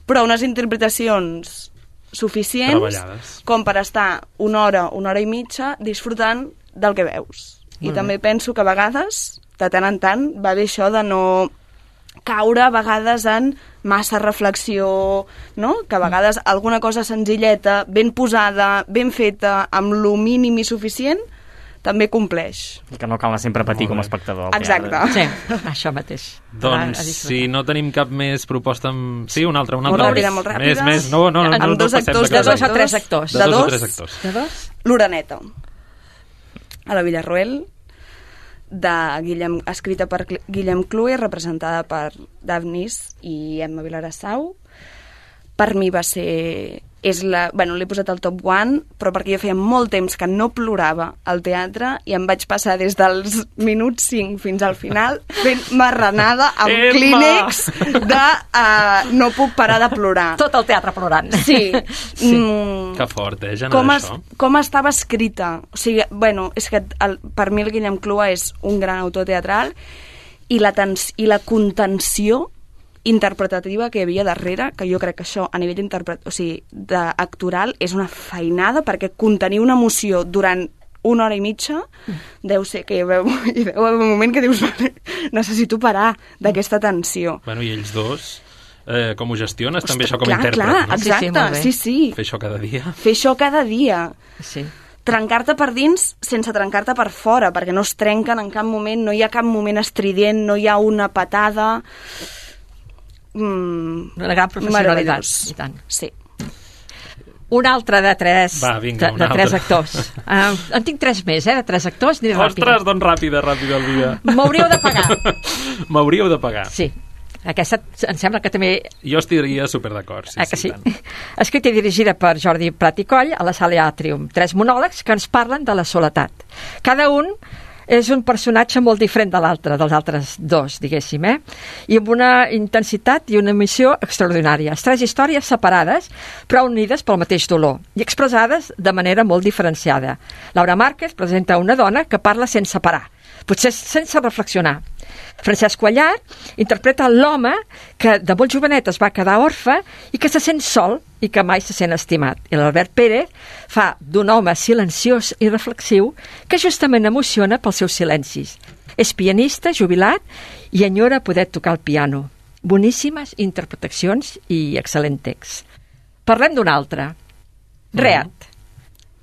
però unes interpretacions suficients com per estar una hora i mitja disfrutant del que veus. I també penso que a vegades, de tant en tant, va bé això de no caure a vegades en massa reflexió, no? Que a vegades alguna cosa senzilleta, ben posada, ben feta, amb lo mínim i suficient, també compleix. I que no cal sempre patir com a espectador. Exacte. Sí, això mateix. Doncs si no tenim cap més proposta... Sí, una altra. Molt ràpida. Més. No, amb dos actors, de 2 a 3 actors. De 2 a 3 actors. De 2? L'Oreneta. A la Villarroel, escrita per Guillem Clue, representada per Daphnis i Emma Vilarassau. Per mi va ser l'he posat al top 1, però perquè jo feia molt temps que no plorava al teatre i em vaig passar des dels minuts 5 fins al final fent marranada amb clínex de no puc parar de plorar. Tot el teatre plorant. Sí. Que fort, això. Com estava escrita. O sigui, és que per mi el Guillem Clua és un gran autor teatral i la contenció interpretativa que hi havia darrere, que jo crec que això a nivell d'actoral és una feinada, perquè contenir una emoció durant 1 hora i mitja deu ser que hi veu un moment que dius necessito parar d'aquesta tensió. Bueno, i ells dos com ho gestiones? També això com a intèrpret, clar, no? Exacte, sí. Fer això cada dia. Fer això cada dia. Sí. Trencar-te per dins sense trencar-te per fora, perquè no es trenquen en cap moment, no hi ha cap moment estrident, no hi ha una patada. Una gran professionalitat. I tant. Sí. Un altre de 3 actors. En tinc 3 més, de 3 actors. Ostres, doncs ràpida, Elvira. M'hauríeu de pagar. M'hauríeu de pagar. Sí. Aquesta em sembla que també... Jo estaria super d'acord, sí. Escrita i dirigida per Jordi Prat i Coll a la Sala Atrium. 3 monòlegs que ens parlen de la soledat. Cada un és un personatge molt diferent de l'altre, dels altres 2, diguéssim, i amb una intensitat i una missió extraordinàries. 3 històries separades, però unides pel mateix dolor, i expressades de manera molt diferenciada. Laura Márquez presenta una dona que parla sense parar, potser sense reflexionar. Francesc Cuellar interpreta l'home que de molt jovenet es va quedar orfe i que se sent sol i que mai se sent estimat. I l'Albert Pérez fa d'un home silenciós i reflexiu que justament emociona pels seus silencis. És pianista, jubilat i enyora poder tocar el piano. Boníssimes interpretacions i excel·lent text. Parlem d'un altre. Reat,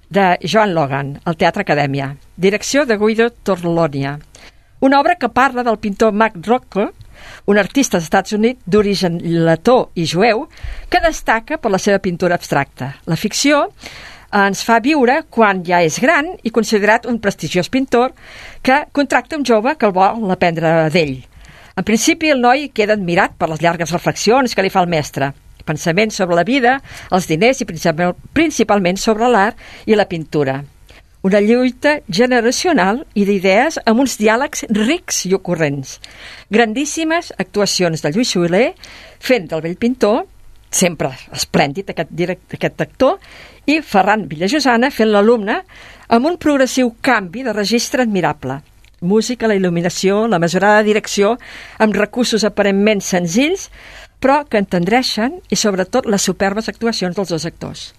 de Joan Logan, al Teatre Acadèmia. Direcció de Guido Torlonia. Una obra que parla del pintor Max Rothko, un artista dels Estats Units d'origen letó i jueu, que destaca per la seva pintura abstracta. La ficció ens fa viure quan ja és gran i considerat un prestigiós pintor que contracta un jove que el vol aprendre d'ell. En principi, el noi queda admirat per les llargues reflexions que li fa el mestre. Pensaments sobre la vida, els diners i principalment sobre l'art i la pintura. Una lluita generacional i d'idees amb uns diàlegs rics i ocurrents. Grandíssimes actuacions de Lluís Soler fent del vell pintor, sempre esplèndid aquest actor, i Ferran Villajosana fent l'alumne amb un progressiu canvi de registre admirable. Música, la il·luminació, la mesurada direcció, amb recursos aparentment senzills, però que entendreixen, i sobretot les superbes actuacions dels 2 actors.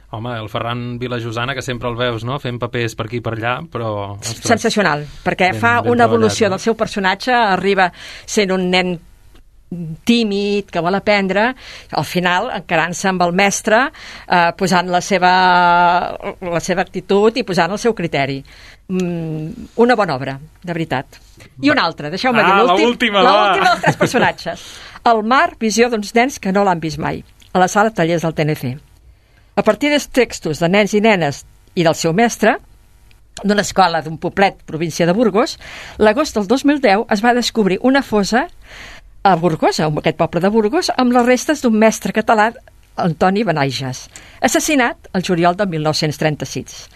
Home, el Ferran Vilajosana, que sempre el veus, no?, fent papers per aquí i per allà, però... Ostres, sensacional, perquè fa una evolució del seu personatge, arriba sent un nen tímid, que vol aprendre, al final encarant-se amb el mestre, posant la seva actitud i posant el seu criteri. Una bona obra, de veritat. I una altra, deixeu-me dir l'última dels 3 personatges. El Mar, visió d'uns nens que no l'han vist mai, a la sala Tallers del TNC. A partir dels textos de nens i nenes i del seu mestre, d'una escola d'un poblet, província de Burgos, l'agost del 2010 es va descobrir una fossa a Burgos, a aquest poble de Burgos, amb les restes d'un mestre català, Antoni Benaiges, assassinat el juliol de 1936.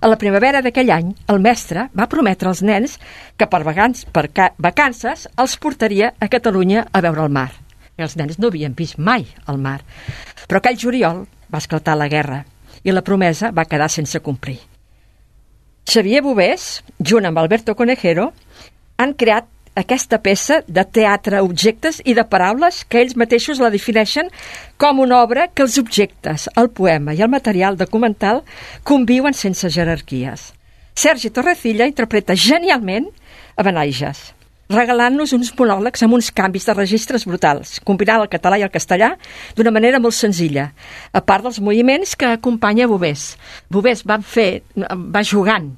A la primavera d'aquell any, el mestre va prometre als nens que per vacances els portaria a Catalunya a veure el mar. I els nens no havien vist mai el mar. Però aquell juliol va esclatar la guerra i la promesa va quedar sense complir. Xavier Bovés, junt amb Alberto Conejero, han creat aquesta peça de teatre, objectes i de paraules que ells mateixos la defineixen com una obra que els objectes, el poema i el material documental conviuen sense jerarquies. Sergi Torrecilla interpreta genialment a Benaiges, regalant-nos uns monòlegs amb uns canvis de registres brutals, combinant el català i el castellà d'una manera molt senzilla, a part dels moviments que acompanya Bovés. Bovés va jugant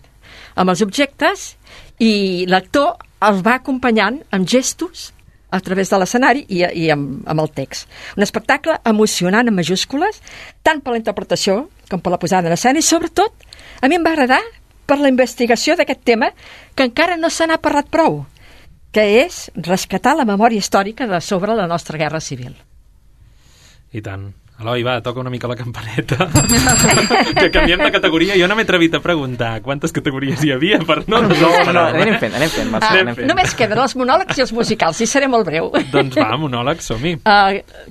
amb els objectes i l'actor els va acompanyant amb gestos a través de l'escenari i amb el text. Un espectacle emocionant en majúscules, tant per la interpretació com per la posada en escena, i sobretot a mi em va agradar per la investigació d'aquest tema que encara no se n'ha parlat prou, que és rescatar la memòria històrica de sobre la nostra guerra civil. I tant. Eloi, va, toca una mica la campaneta. Que canviem de categoria. Jo no m'he atrevit a preguntar quantes categories hi havia per no... Anem fent, Marcel. Només queden els monòlegs i els musicals, i seré molt breu. Doncs va, monòlegs, som-hi.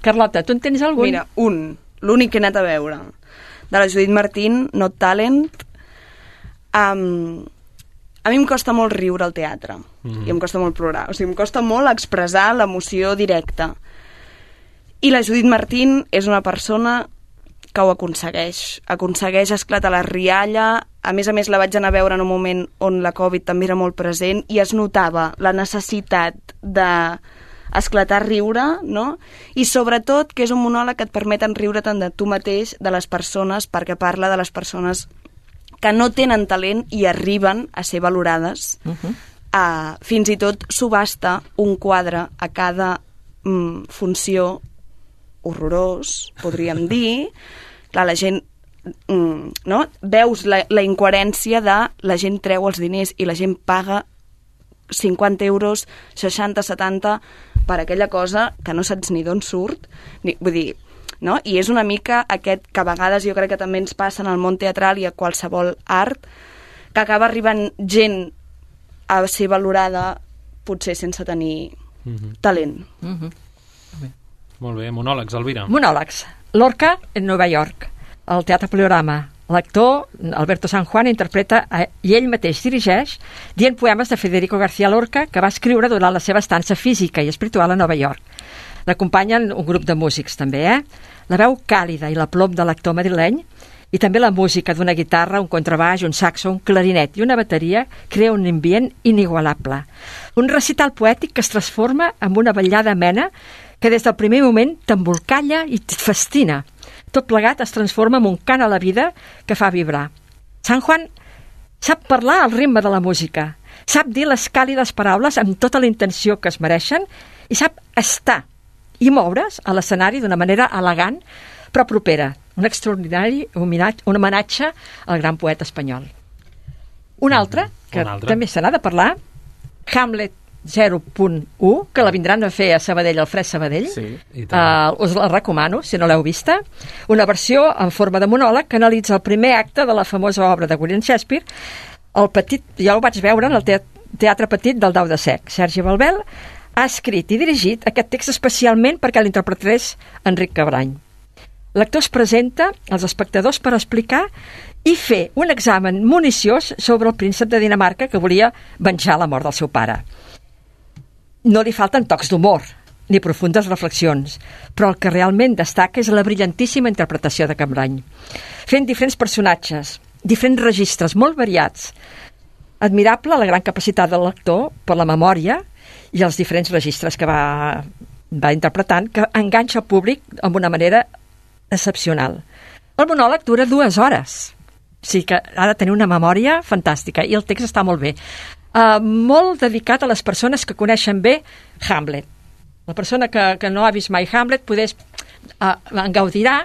Carlota, tu en tens algun? Mira, l'únic que he anat a veure, de la Judit Martín, Not Talent. A mi em costa molt riure al teatre, i em costa molt plorar. O sigui, em costa molt expressar l'emoció directa. I la Judit Martín és una persona que ho aconsegueix esclatar la rialla. A més, la vaig anar a veure en un moment on la Covid també era molt present i es notava la necessitat d'esclatar riure, no? I sobretot que és un monòleg que et permeten riure tant de tu mateix, de les persones, perquè parla de les persones que no tenen talent i arriben a ser valorades. Fins i tot subhasta un quadre a cada funció horrorós, podríem dir. Clar, la gent, no? Veus la incoherència de la gent treu els diners i la gent paga 50 euros, 60, 70 per aquella cosa que no saps ni d'on surt. Vull dir, no? I és una mica aquest que a vegades jo crec que també ens passa en el món teatral i a qualsevol art, que acaba arribant gent a ser valorada potser sense tenir talent. Molt bé, monòlegs, Elvira. Monòlegs. Lorca en Nova York, al Teatre Poliorama. L'actor, Alberto San Juan, interpreta i ell mateix dirigeix dient poemes de Federico García Lorca que va escriure durant la seva estança física i espiritual a Nova York. L'acompanyen un grup de músics, també, La veu càlida i l'aplom de l'actor madrileny i també la música d'una guitarra, un contrabaix, un saxo, un clarinet i una bateria crea un ambient inigualable. Un recital poètic que es transforma en una ballada amena que des del primer moment t'embolcalla i et fascina. Tot plegat es transforma en un cant a la vida que fa vibrar. San Juan sap parlar al ritme de la música, sap dir les càlides paraules amb tota la intenció que es mereixen i sap estar i moure's a l'escenari d'una manera elegant però propera. Un extraordinari homenatge al gran poeta espanyol. Un altre, que també se n'ha de parlar, Hamlet 0.1, que la vindran a fer a Sabadell, al Fred Sabadell. Us la recomano, si no l'heu vista. Una versió en forma de monòleg que analitza el primer acte de la famosa obra de William Shakespeare. El petit, ja ho vaig veure en el Teatre Petit del Dau de Sec. Sergi Balbel ha escrit i dirigit aquest text especialment perquè l'interpretés Enric Cabrany. L'actor es presenta als espectadors per explicar i fer un examen municiós sobre el príncep de Dinamarca que volia venjar la mort del seu pare. No li falten tocs d'humor ni profundes reflexions, però el que realment destaca és la brillantíssima interpretació de Cabrany, fent diferents personatges, diferents registres molt variats. Admirable la gran capacitat de l'actor per la memòria i els diferents registres que va interpretant, que enganxa el públic amb una manera excepcional. El monòleg dura 2 hores, o sigui que ha de tenir una memòria fantàstica i el text està molt bé. Molt dedicat a les persones que coneixen bé Hamlet. La persona que no ha vist mai Hamlet en gaudirà,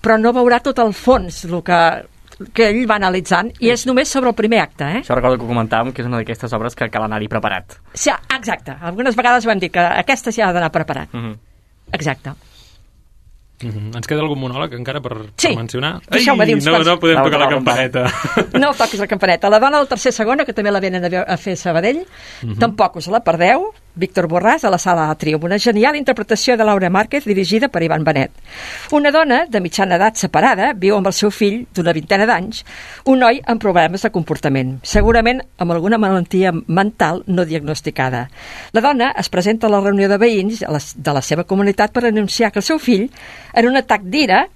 però no veurà tot el fons, el que ell va analitzant, i és només sobre el primer acte. Això recordo que comentàvem que és una d'aquestes obres que cal anar-hi preparat. Sí, exacte. Algunes vegades ho hem dit, que aquesta s'hi ha d'anar preparat. Exacte. Ens queda algun monòleg encara per mencionar? Deixeu-me dir uns quants. No podem tocar la campaneta. No toquis la campaneta. La dona del tercer segona, que també la venen a fer a Sabadell, tampoc us la perdeu. Víctor Borràs, a la Sala Atri, una genial interpretació de Laura Márquez dirigida per Ivan Benet. Una dona de mitjana edat separada viu amb el seu fill d'una 20 d'anys, un noi amb problemes de comportament, segurament amb alguna malaltia mental no diagnosticada. La dona es presenta a la reunió de veïns de la seva comunitat per anunciar que el seu fill, en un atac d'ira,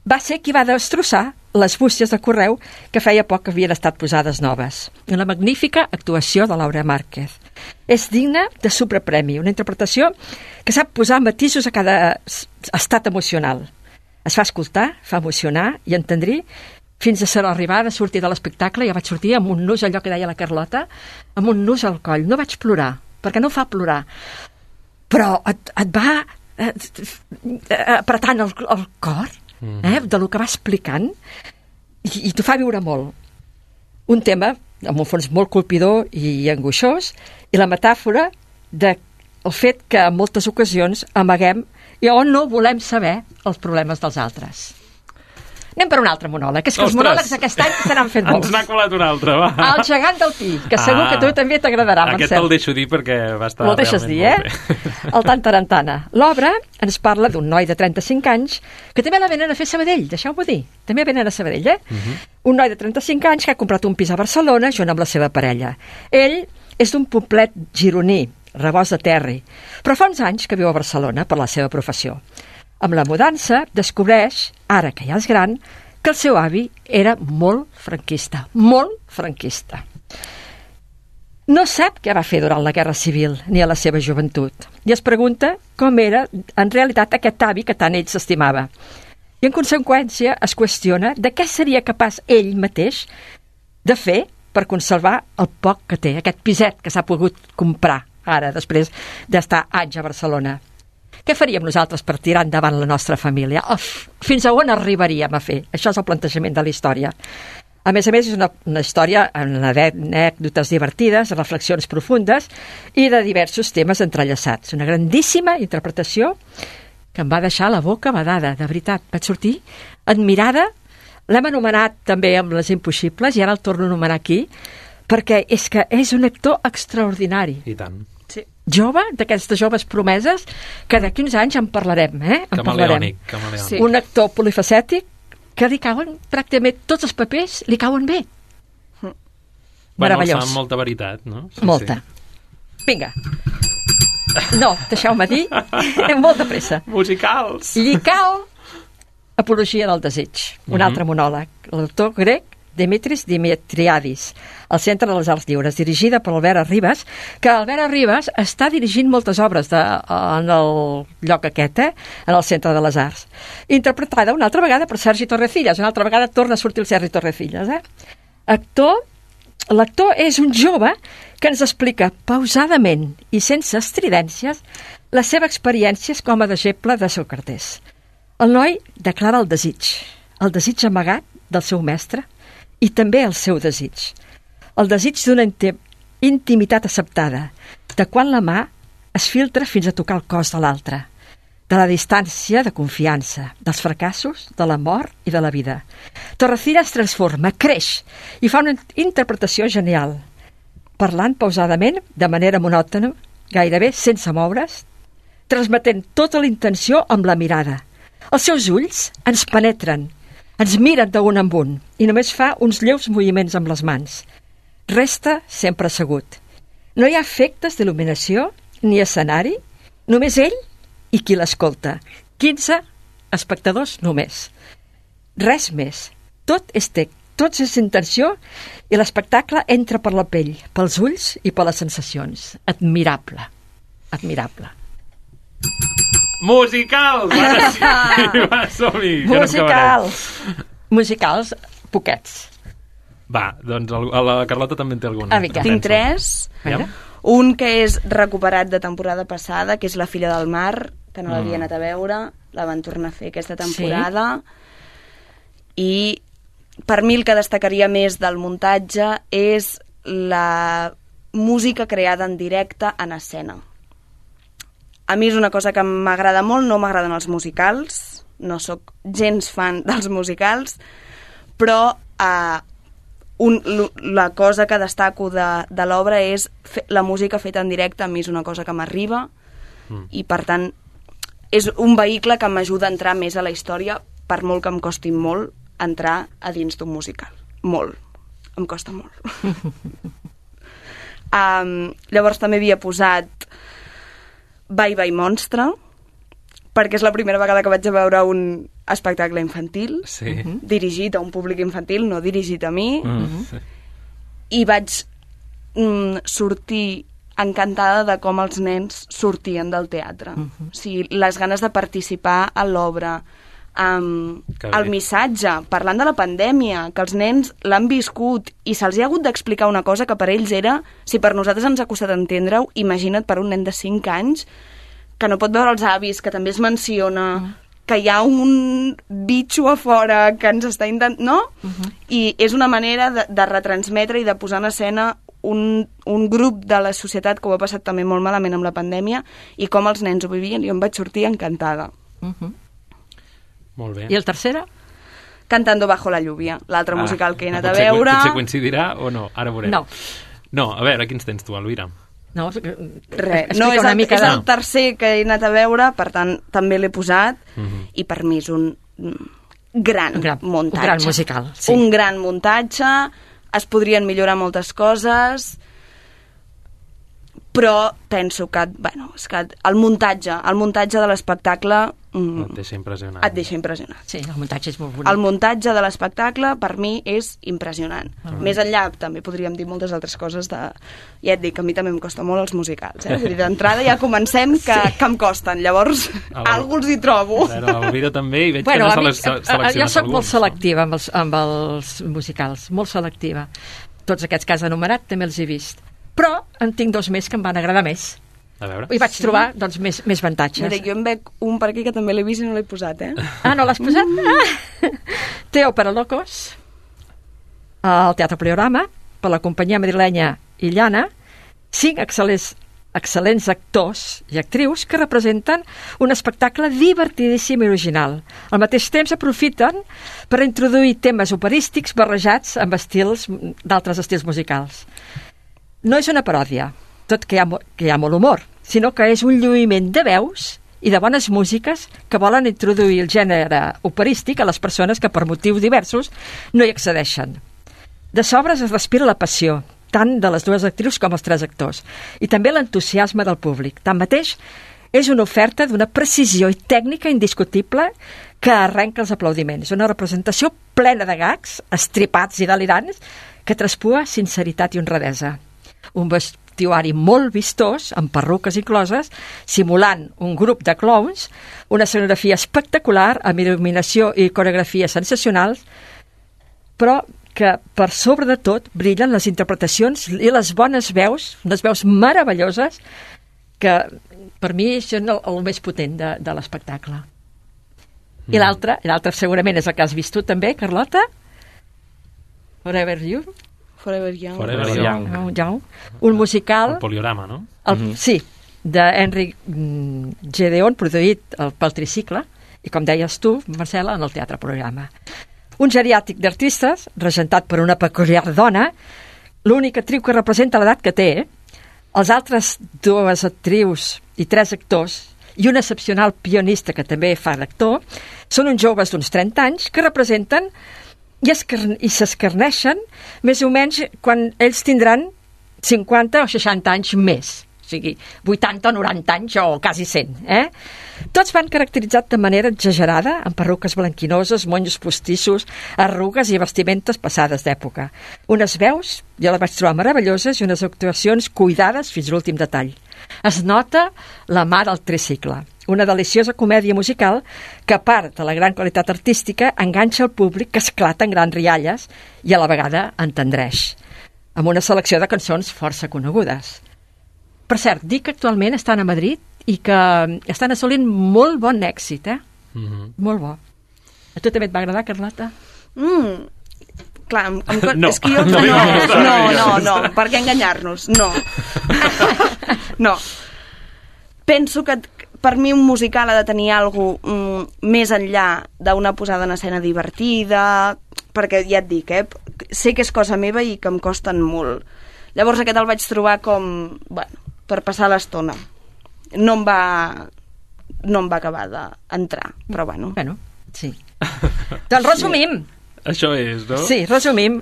va ser qui va destrossar les bústies de correu que feia poc que havien estat posades noves. Una magnífica actuació de Laura Márquez. És digna de superpremi, una interpretació que sap posar matisos a cada estat emocional. Es fa escoltar, fa emocionar i entendrir fins a ser arribada a sortir de l'espectacle. Ja vaig sortir amb un nus, allò que deia la Carlota, amb un nus al coll. No vaig plorar, perquè no fa plorar, però et va apretant el cor, de lo que va explicant, i t'ho fa viure molt. Un tema amb un fons molt colpidor i angoixós, i la metàfora del fet que en moltes ocasions amaguem i on no volem saber els problemes dels altres. Anem per un altre monòleg, que és que els monòlegs aquest any se n'han fet molts. Ens n'ha colat un altre, va. El gegant del Pi, que segur que a tu també t'agradarà, Marcel. Aquest te'l deixo dir perquè va estar realment molt bé. El Tantarantana. L'obra ens parla d'un noi de 35 anys que també la venen a fer a Sabadell, deixeu-m'ho dir. També venen a Sabadell, Un noi de 35 anys que ha comprat un pis a Barcelona junt amb la seva parella. Ell és d'un poblet gironí, Rebost de Terri, però fa uns anys que viu a Barcelona per la seva professió. Amb la mudança, descobreix, ara que ja és gran, que el seu avi era molt franquista. Molt franquista. No sap què va fer durant la Guerra Civil, ni a la seva joventut, i es pregunta com era, en realitat, aquest avi que tant ell s'estimava. I, en conseqüència, es qüestiona de què seria capaç ell mateix de fer per conservar el poc que té, aquest piset que s'ha pogut comprar ara, després d'estar anys a Barcelona. Què faríem nosaltres per tirar endavant la nostra família? Fins a on arribaríem a fer? Això és el plantejament de la història. A més, és una història amb anècdotes divertides, reflexions profundes i de diversos temes entrellaçats. Una grandíssima interpretació que em va deixar la boca badada, de veritat. Vaig sortir admirada. L'hem anomenat també amb Les Impossibles i ara el torno a anomenar aquí perquè és que és un actor extraordinari. I tant. Sí. Jove, d'aquestes joves promeses, que d'aquí uns anys en parlarem, Camaleònic. Sí. Un actor polifacètic que li cauen pràcticament tots els papers, li cauen bé. Meravellós. Bueno, amb molta veritat, no? Sí, molta. Sí. Vinga. No, deixeu-me dir, molt de pressa. Musicals. Llicao, Apologia del desig, un altre monòleg. L'autor grec Dimitris Dimitriadis, al Centre de les Arts Lliures, dirigida per Albert Arribas, que Albert Arribas està dirigint moltes obres en el lloc aquest, en el Centre de les Arts. Interpretada una altra vegada per Sergi Torrecillas, una altra vegada torna a sortir el Sergi Torrecillas. L'actor és un jove que ens explica pausadament i sense estridències les seves experiències com a deixeble de Sòcrates. El noi declara el desig amagat del seu mestre, i també el seu desig. El desig d'una intimitat acceptada, de quan la mà es filtra fins a tocar el cos de l'altre, de la distància de confiança, dels fracassos, de la mort i de la vida. Torrecillas es transforma, creix i fa una interpretació genial, parlant pausadament, de manera monòtona, gairebé sense moure's, transmetent tota la intenció amb la mirada. Els seus ulls ens penetren, ens miren d'un en un i només fa uns lleus moviments amb les mans. Resta sempre assegut. No hi ha efectes d'il·luminació ni escenari, només ell i qui l'escolta. 15 espectadors només. Res més. Tot és intenció i l'espectacle entra per la pell, pels ulls i per les sensacions. Admirable. Admirable. Musicals! Va, som-hi! Musicals, poquets. Va, doncs la Carlota també en té alguna. Tinc 3. Un que és recuperat de temporada passada, que és La filla del mar, que no l'havia anat a veure, la van tornar a fer aquesta temporada. I per mi el que destacaria més del muntatge és la música creada en directe en escena. A mi és una cosa que m'agrada molt, no m'agraden els musicals, no sóc gens fan dels musicals, però la cosa que destaco de l'obra és la música feta en directe. A mi és una cosa que m'arriba i, per tant, és un vehicle que m'ajuda a entrar més a la història, per molt que em costi molt entrar a dins d'un musical. Molt. Em costa molt. Llavors també havia posat Bye Bye Monstre, perquè és la primera vegada que vaig a veure un espectacle infantil, dirigit a un públic infantil, no dirigit a mi, i vaig sortir encantada de com els nens sortien del teatre. O sigui, les ganes de participar a l'obra, el missatge, parlant de la pandèmia, que els nens l'han viscut i se'ls ha hagut d'explicar una cosa que per ells era, si per nosaltres ens ha costat entendre-ho, imagina't per un nen de 5 anys que no pot veure els avis, que també es menciona que hi ha un bitxo a fora que ens està intentant... No? I és una manera de retransmetre i de posar en escena un grup de la societat que ho ha passat també molt malament amb la pandèmia i com els nens ho vivien, i em vaig sortir encantada. Molt bé. I el tercera? Cantando bajo la lluvia, l'altre musical que he anat a veure. Potser coincidirà o no, ara veurem. No, a veure, quins tens tu, Elvira? No, res. No, és el tercer que he anat a veure, per tant, també l'he posat, i per mi és un gran muntatge. Un gran musical, sí. Un gran muntatge, es podrien millorar moltes coses, però penso que, és que el muntatge de l'espectacle et deixa impressionat. Sí, el muntatge és molt bonic. El muntatge de l'espectacle, per mi, és impressionant. Més enllà, també podríem dir moltes altres coses de... Ja et dic, a mi també em costa molt els musicals. Vull dir, d'entrada ja comencem que em costen. Llavors, alguns hi trobo. L'Elvira també, i veig que no se les seleccionat. Jo soc molt selectiva amb els musicals, molt selectiva. Tots aquests que has enumerat també els he vist. Però en tinc dos més que em van agradar més. A veure. I vaig trobar doncs, més avantatges. Mira, jo em veig un per aquí que també l'he vist i no l'he posat, Ah, no l'has posat? Teo para Locos, al Teatre Poliorama, per la companyia madrilenya Illana, 5 excel·lents actors i actrius que representen un espectacle divertidíssim i original. Al mateix temps aprofiten per introduir temes operístics barrejats amb d'altres estils musicals. No és una paròdia, tot que hi ha molt humor, sinó que és un lluïment de veus i de bones músiques que volen introduir el gènere operístic a les persones que per motius diversos no hi accedeixen. De sobres es respira la passió, tant de les dues actrius com els 3 actors, i també l'entusiasme del públic. Tanmateix, és una oferta d'una precisió i tècnica indiscutible que arrenca els aplaudiments. Una representació plena de gags, estripats i delirants, que traspua sinceritat i honradesa. Un vestuari molt vistós, amb perruques incloses, simulant un grup de clowns, una escenografia espectacular, amb il·luminació i coreografia sensacionals, però que per sobre de tot brillen les interpretacions i les bones veus, unes veus meravelloses, que per mi són el més potent de l'espectacle. I l'altre segurament és el que has vist tu també, Carlota? Forever You? Forever Young. Un musical... El Poliorama, no? Sí, d'Henrik Gedeon, produït pel Tricicle, i com deies tu, Marcela, en el Teatre Poliorama. Un geriàtric d'artistes, regentat per una peculiar dona, l'única actriu que representa l'edat que té, els altres 2 actrius i 3 actors, i un excepcional pianista que també fa d'actor, són uns joves d'uns 30 anys que representen i s'escarneixen més o menys quan ells tindran 50 o 60 anys més, o sigui, 80 o 90 anys o quasi 100, Tots van caracteritzats de manera exagerada, amb perruques blanquinoses, monys postissos, arrugues i vestimentes passades d'època. Unes veus, jo les vaig trobar meravelloses, i unes actuacions cuidades fins a l'últim detall. Es nota la mà del Tricicle, una deliciosa comèdia musical que, a part de la gran qualitat artística, enganxa el públic, que esclata en grans rialles i a la vegada entendreix, amb una selecció de cançons força conegudes. Per cert, dic que actualment estan a Madrid i que estan assolint molt bon èxit, Molt bo. A tu també et va agradar, Carlota? Clar, és que jo... No, per què enganyar-nos? No. Penso que per mi un musical ha de tenir alguna cosa més enllà d'una posada en escena divertida, perquè ja et dic, sé que és cosa meva i que em costen molt. Llavors aquest el vaig trobar com, per passar l'estona. No em va acabar d'entrar, però bueno. Sí. Doncs resumim. Això és, no? Sí, resumim.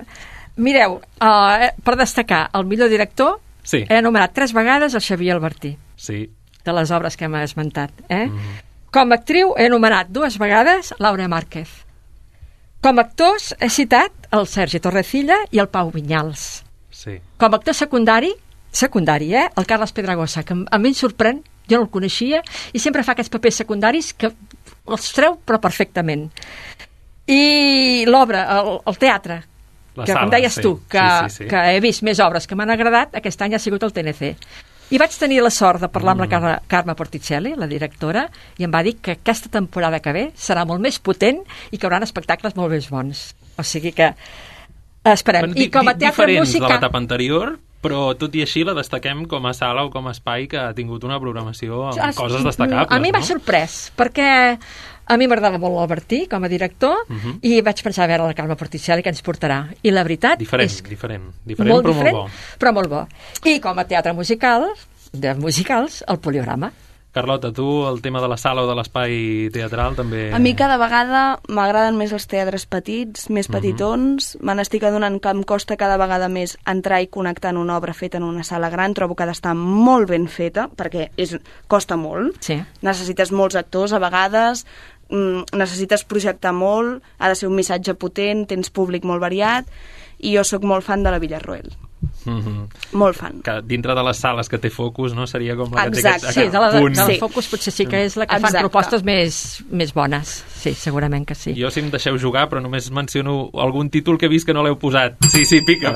Mireu, per destacar el millor director, he anomenat 3 vegades el Xavier Albertí. Sí. De les obres que hem esmentat. Com a actriu he anomenat 2 vegades Laura Márquez. Com a actors he citat el Sergi Torrecilla i el Pau Vinyals. Sí. Com a actor secundari, el Carles Pedragosa, que a mi em sorprèn, jo no el coneixia, i sempre fa aquests papers secundaris que els treu però perfectament. I l'obra, el teatre, que com deies tu, que he vist més obres que m'han agradat, aquest any ha sigut el TNC. I vaig tenir la sort de parlar amb la Carme Porticelli, la directora, i em va dir que aquesta temporada que ve serà molt més potent i que hi haurà espectacles molt més bons. O sigui que esperem. I com a teatre diferents musical... de l'etapa anterior, però tot i així la destaquem com a sala o com a espai que ha tingut una programació amb coses destacables. A mi m'ha sorprès, perquè a mi m'agradava molt l'Albertí com a director i vaig pensar a veure la Carme Porticelli que ens portarà. I la veritat és diferent, molt però diferent, molt bo. Però molt bo. I com a teatre musical, de musicals, el Poliorama. Carlota, tu el tema de la sala o de l'espai teatral també... A mi cada vegada m'agraden més els teatres petits, més petitons. Me n'estic adonant que em costa cada vegada més entrar i connectar en una obra feta en una sala gran. Trobo que ha d'estar molt ben feta, perquè costa molt. Sí. Necessites molts actors a vegades, necessites projectar molt, ha de ser un missatge potent, tens públic molt variat, i jo sóc molt fan de la Villarroel. Molt fan. Que dintre de les sales que té Focus, no? Seria com la que té aquest sí, de la Focus potser sí que és la que fan propostes més bones. Sí, segurament que sí. Jo, si em deixeu jugar, però només menciono algun títol que he vist que no l'heu posat. Sí, pica.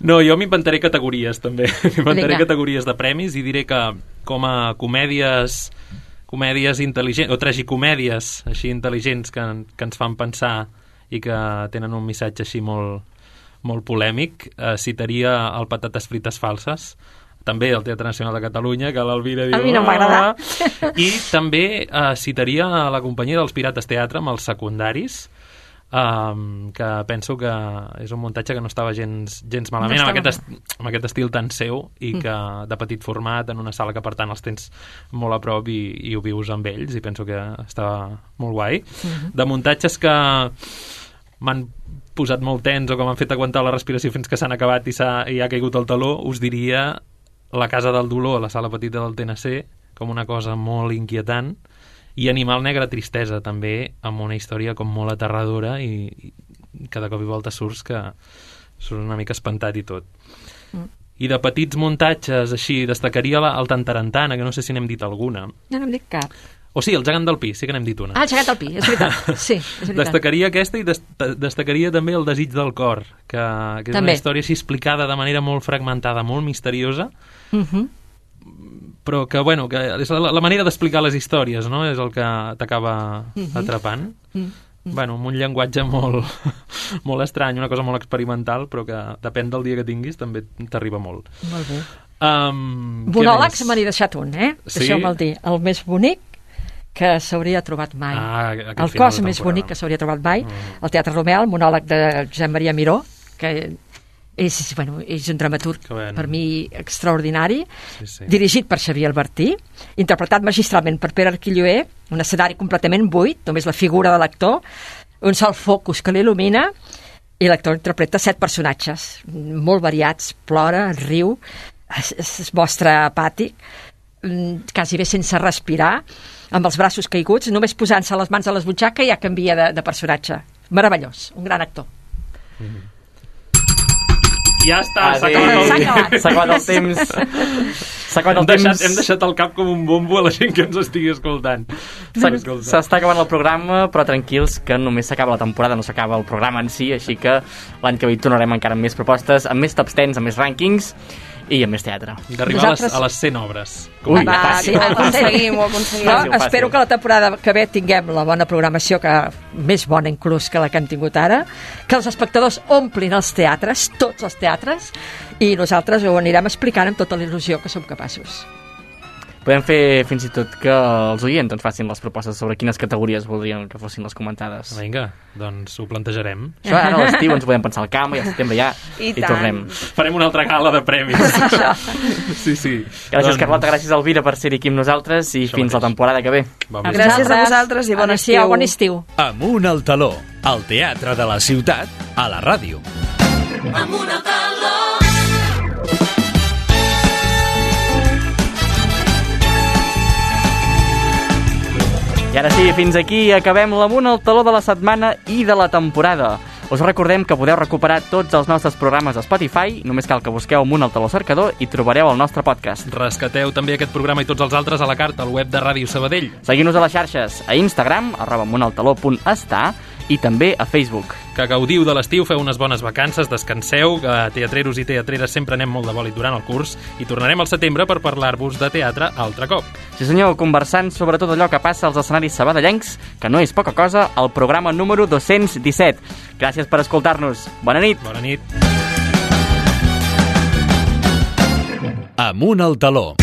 No, jo m'inventaré categories, també. M'inventaré categories de premis i diré que com a comèdies intel·ligents, o tragicomèdies així intel·ligents que ens fan pensar i que tenen un missatge així molt polèmic, citaria el Patates frites falses, també el Teatre Nacional de Catalunya, que l'Alvira diu... A mi no m'agrada. I també citaria la companyia dels Pirates Teatre amb els secundaris, que penso que és un muntatge que no estava gens malament, amb aquest estil tan seu i que de petit format, en una sala que per tant els tens molt a prop i ho vius amb ells, i penso que estava molt guai. De muntatges que m'han posat molt tens o que m'han fet aguantar la respiració fins que s'han acabat i ha caigut el taló, us diria La Casa del Dolor, a la sala petita del TNC, com una cosa molt inquietant, i Animal Negre Tristesa, també, amb una història com molt aterradora i cada cop i volta surts una mica espantat i tot. I de petits muntatges, així, destacaria el Tantarantana, que no sé si n'hem dit alguna. No n'hem dit cap. O sí, el Gegant del Pi, sí que n'hem dit una. Ah, el Gegant del Pi, és veritat. Sí, és veritat. Destacaria aquesta i destacaria també el Desig del Cor, que és una història així explicada de manera molt fragmentada, molt misteriosa, però que, bueno, que és la manera d'explicar les històries, no?, és el que t'acaba atrapant. Bueno, amb un llenguatge molt estrany, una cosa molt experimental, però que depèn del dia que tinguis, també t'arriba molt. Molt bé. Monòlegs me n'he deixat un, deixeu-me'l dir. El més bonic que s'hauria trobat mai. El cos més bonic que s'hauria trobat mai. El Teatre Romeu, el monòleg de Josep Maria Miró, que és un dramaturg per mi extraordinari, dirigit per Xavier Albertí, interpretat magistralment per Pere Arquilloé, un escenari completament buit, només la figura de l'actor, un sol focus que l'il·lumina, i l'actor interpreta 7 personatges, molt variats, plora, riu, es mostra apàtic, quasi bé sense respirar, amb els braços caiguts, només posant-se les mans a les butxaques ja canvia de personatge. Meravellós, un gran actor. Ja està, s'ha acabat el temps. Hem deixat el cap com un bombo a la gent que ens estigui escoltant. S'està acabant el programa, però tranquils que només s'acaba la temporada, no s'acaba el programa en si, així que l'any que ve tornarem encara amb més propostes, amb més top 10, amb més rànquings i amb més teatre. D'arribar a les 100 obres. Ho aconseguim. Espero que la temporada que ve tinguem la bona programació, més bona inclús que la que hem tingut ara, que els espectadors omplin els teatres, tots els teatres, i nosaltres ho anirem explicant amb tota la il·lusió que som capaços. Podem fer fins i tot que els oients ens facin les propostes sobre quines categories voldrien que fossin les comentades. Vinga, doncs ho plantejarem. Això ara a l'estiu ens podem pensar al camp i al setembre ja i tornem. Farem una altra gala de premis. Sí. Gràcies, Carlota, gràcies, Elvira, per ser aquí amb nosaltres i fins la temporada que ve. Gràcies a vosaltres i bon estiu. Bon estiu. Amunt al taló, al Teatre de la Ciutat, a la ràdio. Amunt al taló. I ara sí, fins aquí acabem l'Amunt al taló de la setmana i de la temporada. Us recordem que podeu recuperar tots els nostres programes a Spotify, només cal que busqueu Amunt al taló cercador i trobareu el nostre podcast. Rescateu també aquest programa i tots els altres a la carta al web de Ràdio Sabadell. Seguim-nos a les xarxes, a Instagram, @amuntaltaló.està, i també a Facebook. Que gaudiu de l'estiu, feu unes bones vacances, descanseu, que teatreros i teatreres sempre anem molt de bòlit durant el curs i tornarem al setembre per parlar-vos de teatre altre cop. Sí senyor, conversant sobre tot allò que passa als escenaris sabadellencs, que no és poca cosa, al programa número 217. Gràcies per escoltar-nos. Bona nit. Bona nit. Amunt al taló.